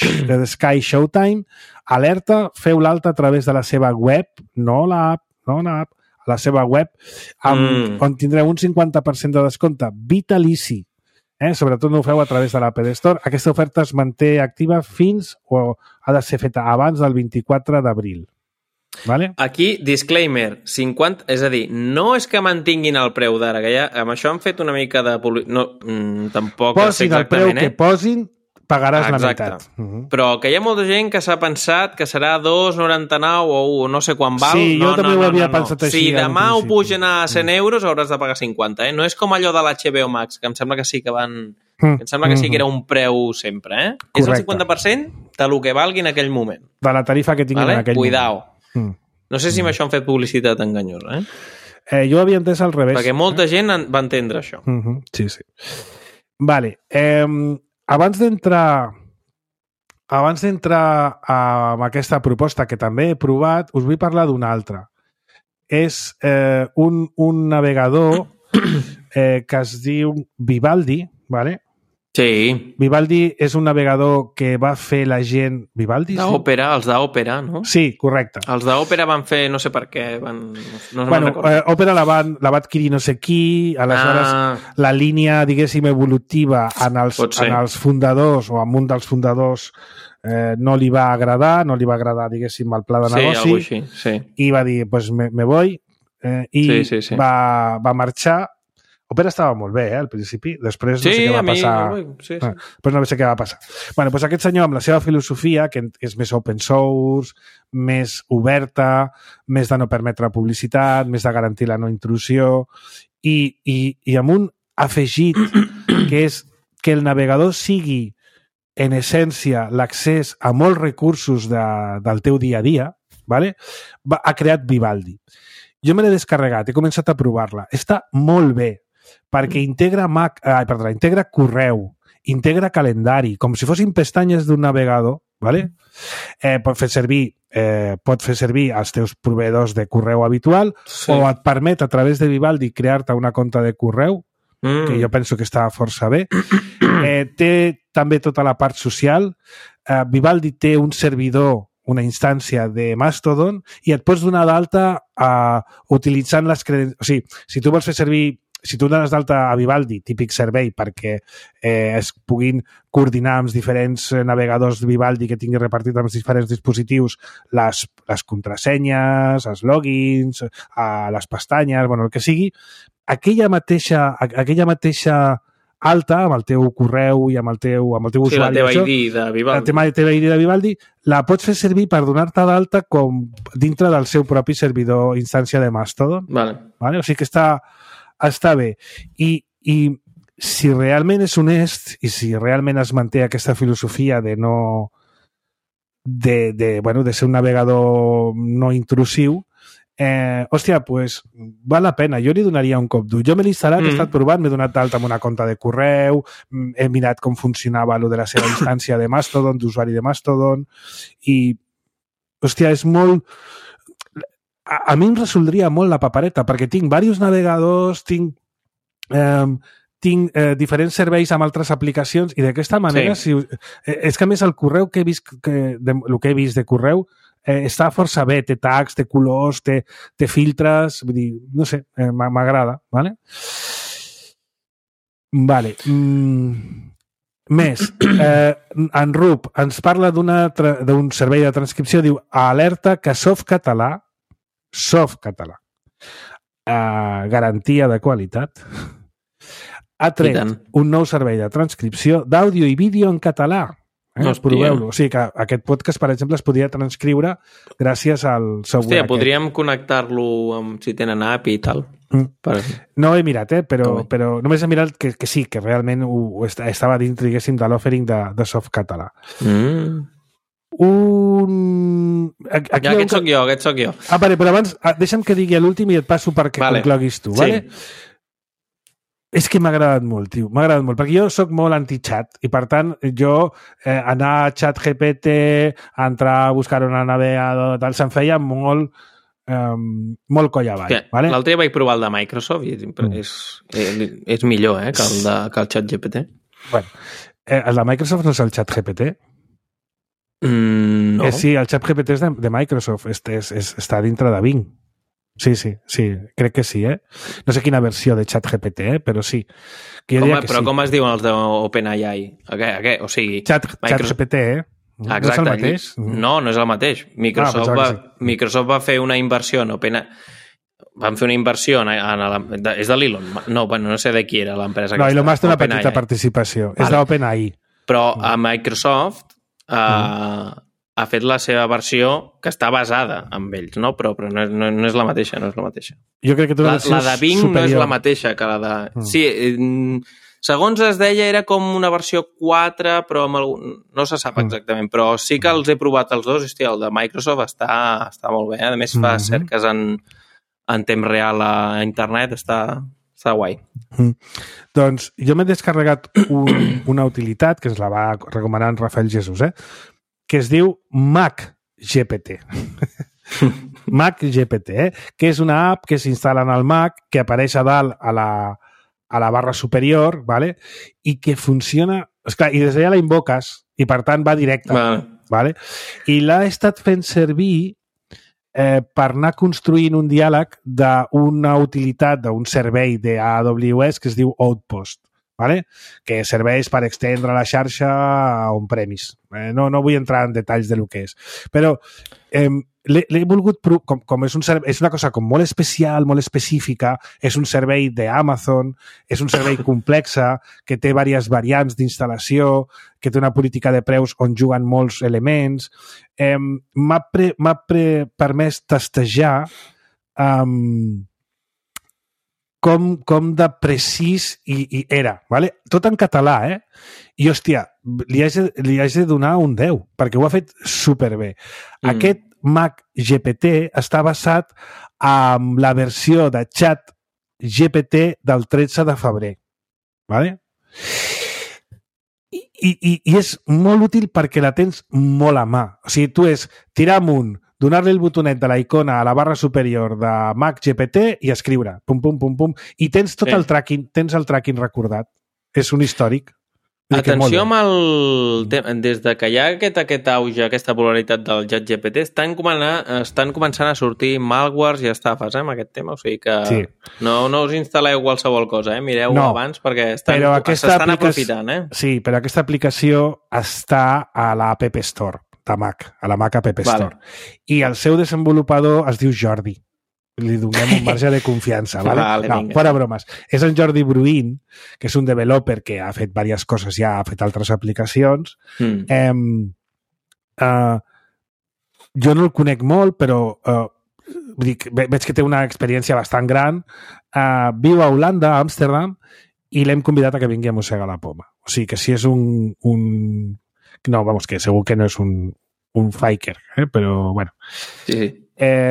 Sky Showtime, alerta, feu l'alta a través de la seva web, no l'app, a la seva web, on tindreu un 50% de descompte vitalici. Sobretot no ho feu a través de l'Apple Store. Aquesta oferta es manté activa fins o ha de ser feta abans del 24 d'abril. Vale? Aquí, disclaimer, 50, és a dir, no és que mantinguin el preu d'ara, que ja amb això han fet una mica de... No, tampoc posin sé exactament, el preu que posin, pagaràs la meitat. Però que hi ha molta gent que s'ha pensat que serà 2,99 o no sé quan val. Sí, jo també ho havia pensat així. Si demà ho pugen a 100 euros hauràs de pagar 50, No és com allò de l'HBO Max, que em sembla que sí que van... Em sembla que sí que era un preu sempre, Correcte. És el 50% de lo que valgui en aquell moment. De la tarifa que tinguin en aquell Cuidao. moment. No sé si amb això han fet publicitat enganyosa, Jo havia entès al revés. Perquè molta gent va entendre això. Sí, sí. Vale. Abans d'entrar amb aquesta proposta que també he provat, us vull parlar d'una altra. És un navegador que es diu Vivaldi, vale? Sí. Vivaldi és un navegador que va fer la gent... Vivaldi? D'òpera, els d'òpera, no? Sí, correcte. Els d'òpera van fer, no sé per què, Òpera la va adquirir no sé qui, aleshores la línia, diguéssim, evolutiva en els fundadors o en un dels fundadors no li va agradar, diguéssim, el pla de negoci. Sí, algo així, sí. I va dir, pues me voy, i sí. va marxar. Òpera estava molt bé, al principi. Després no sé què va passar. Sí. Després no sé què va passar. Bueno, doncs aquest senyor, amb la seva filosofia, que és més open source, més oberta, més de no permetre publicitat, més de garantir la no intrusió, i amb un afegit que és que el navegador sigui, en essència, l'accés a molts recursos del teu dia a dia, ¿vale? Ha creat Vivaldi. Jo me l'he descarregat, he començat a provar-la. Està molt bé, perquè integra correu, integra calendari, com si fossin pestanyes d'un navegador, ¿vale? Pot fer servir els teus proveïdors de correu habitual, o et permet a través de Vivaldi crear-te una compte de correu, que jo penso que està força bé. Té també tota la part social. Vivaldi té un servidor, una instància de Mastodon, i et pots donar d'alta utilitzant les credencials. O sigui, si tu vols fer servir si tu dones d'alta a Vivaldi, típic servei, perquè es puguin coordinar amb diferents navegadors de Vivaldi que tinguin repartit amb els diferents dispositius les contrasenyes, els logins, les pestanyes, bueno, el que sigui, aquella mateixa alta, amb el teu correu i amb el teu usuari. La teva ID de Vivaldi. La teva ID de Vivaldi la pots fer servir per donar-te d'alta com dintre del seu propi servidor instància de Mastodon. Vale? O sigui que està bé. I si realment és honest i si realment es manté aquesta filosofia de no de ser un navegador no intrusiu, hòstia, pues val la pena, jo li donaria un cop dur. Jo me l'he instal·lat, he estat provant, m'he donat d'alta amb una compte de correu, he mirat com funcionava lo de la seva instància de Mastodon, d'usuari de Mastodon, i hòstia, és molt... A mi em resoldria molt la papereta, perquè tinc diversos navegadors, tinc diferents serveis amb altres aplicacions, i d'aquesta manera, és que a més el correu que he vist, el que he vist de correu, està força bé, té tags, té colors, té filtres, vull dir, no sé, m'agrada, vale? Vale. Més, en Rup ens parla d'un servei de transcripció, diu, alerta que Softcatalà, garantia de qualitat, ha tret un nou servei de transcripció d'àudio i vídeo en català. Proveu-lo. O sigui que aquest podcast, per exemple, es podria transcriure gràcies al software. Hòstia, podríem connectar-lo si tenen app i tal. No he mirat, però només he mirat que sí, que realment estava dintre, diguéssim, de l'offering de Softcatalà. Aquest soc jo. Vale, però abans deixa'm que digui l'últim i et passo perquè concloguis tu, vale? És que m'ha agradat molt, tio. M'ha agradat molt, perquè jo sóc molt anti-chat i, per tant, jo anar a ChatGPT, entrar a buscar una navegador, tal, se'm feia molt coll avall. Vale? L'altre dia vaig provar el de Microsoft i és millor que el ChatGPT. Bueno, el de Microsoft no és el ChatGPT? No. Sí, el ChatGPT és de Microsoft, està dintre de Bing. Sí, crec que sí, No sé quina versió de ChatGPT, però sí. Però com es diuen els d'OpenAI? O sigui... ChatGPT, Exacte. No és el mateix? No és el mateix. Microsoft va fer una inversió en OpenAI. Van fer una inversió és de l'Elon. No sé de qui era l'empresa. No, Elon Musk té una petita participació. És d'OpenAI. Però a Microsoft... ha fet la seva versió que està basada en ells, no? Però no és la mateixa, Jo crec que la de Bing superior. No és la mateixa que la de... Sí, segons es deia era com una versió 4, però no se sap exactament, però sí que els he provat els dos, hòstia, el de Microsoft està molt bé, a més fa cerques en temps real a internet, està guai. Doncs jo m'he descarregat una utilitat que es la va recomanar en Rafael Jesús, que es diu MacGPT. MacGPT, que és una app que s'instal·la en el Mac, que apareix a dalt a la barra superior, ¿vale? I que funciona... Esclar, i des d'allà la invoques i, per tant, va directe. ¿Vale? I l'ha estat fent servir per anar construint un diàleg d'una utilitat, d'un servei d'AWS que es diu Outpost. ¿Vale? Que serveix per extendre la xarxa on-premise. No vull entrar en detalls de lo que és. Però l'he volgut... Com és una cosa com molt especial, molt específica, és un servei d'Amazon, és un servei complexa, que té diverses variants d'instal·lació, que té una política de preus on juguen molts elements. M'ha permès testejar com de precís i era, ¿vale? Tot en català, I, hòstia, li haig de donar un 10, perquè ho ha fet superbé. Aquest MacGPT està basat en la versió de ChatGPT del 13 de febrer, ¿vale? I és molt útil perquè la tens molt a mà. O sigui, tu és tirar amunt, donar-li el botonet de la icona a la barra superior de MacGPT i escriure, pum, pum, pum, pum, i tens tot el tracking, tens el tracking recordat. És un històric. Atenció amb des de que hi ha aquest auge, aquesta popularitat del ChatGPT, estan començant a sortir malwares i estafes amb aquest tema, o sigui que no us instal·leu qualsevol cosa, mireu abans perquè s'estan aprofitant. Sí, però aquesta aplicació està a la App Store de Mac, a la Mac App Store. I el seu desenvolupador es diu Jordi. Li donem un marge de confiança, ¿vale? No, fora bromes. És en Jordi Bruin, que és un developer que ha fet diverses coses ja, ha fet altres aplicacions. Jo no el conec molt, però veig que té una experiència bastant gran. Viu a Holanda, a Amsterdam, i l'hem convidat a que vingui a mossegar la poma. O sigui que si és no, vamos, que segur que no és un faker, però bueno. Sí.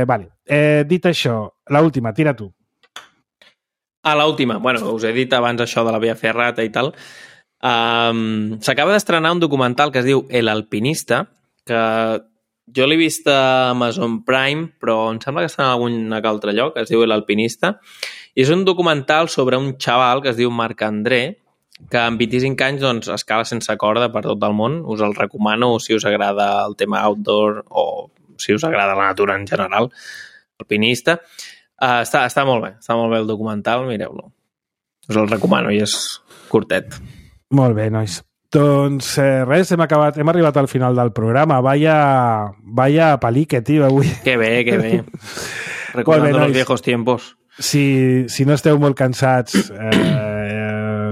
Vale. Dit això, l'última, tira tu. L'última. Bueno, us he dit abans això de la Via Ferrata i tal. S'acaba d'estrenar un documental que es diu El Alpinista, que jo l'he vist a Amazon Prime, però em sembla que està en algun altre lloc, es diu El Alpinista, i és un documental sobre un xaval que es diu Marc André, que amb 25 anys doncs, escala sense corda per tot el món. Us el recomano si us agrada el tema outdoor o si us agrada la natura en general. Alpinista. Està molt bé el documental, mireu-lo. Us el recomano i és curtet. Molt bé, nois. Doncs res, hem arribat al final del programa. Vaya palique, tio, avui. Que bé. Recordando los viejos tiempos. Si no esteu molt cansats,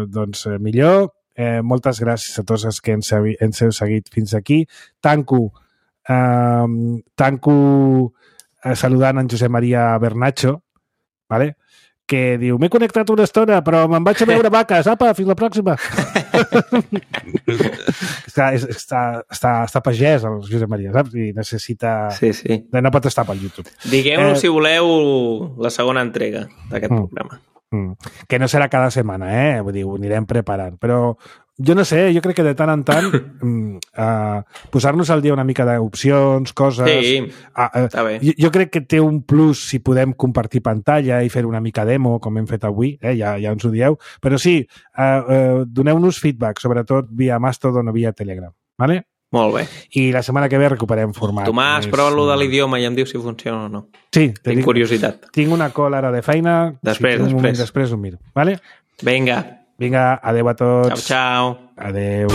doncs millor. Moltes gràcies a tots els que ens heu seguit fins aquí. Tanco saludant en Josep Maria Bernacho, ¿vale? Que diu, m'he connectat una estona, però me'n vaig a veure vaques. Apa, fins la pròxima. està pagès, el Josep Maria, saps? I necessita... Sí. No pot estar pel YouTube. Digueu-nos, si voleu, la segona entrega d'aquest programa. Que no serà cada setmana, Vull dir, ho anirem preparant. Però jo no sé, jo crec que de tant en tant posar-nos al dia una mica d'opcions, coses... Sí, està bé. Jo crec que té un plus si podem compartir pantalla i fer una mica demo, com hem fet avui, ja ens ho dieu. Però sí, doneu-nos feedback, sobretot via Mastodon o via Telegram, ¿vale? Molt bé. I la setmana que ve recuperem format. Tomàs, prova-lo de l'idioma i em diu si funciona o no. Sí. Tinc curiositat. Tinc una call ara de feina. Després ho miro. Vale? Vinga, adeu a tots. Ciao. Adeu.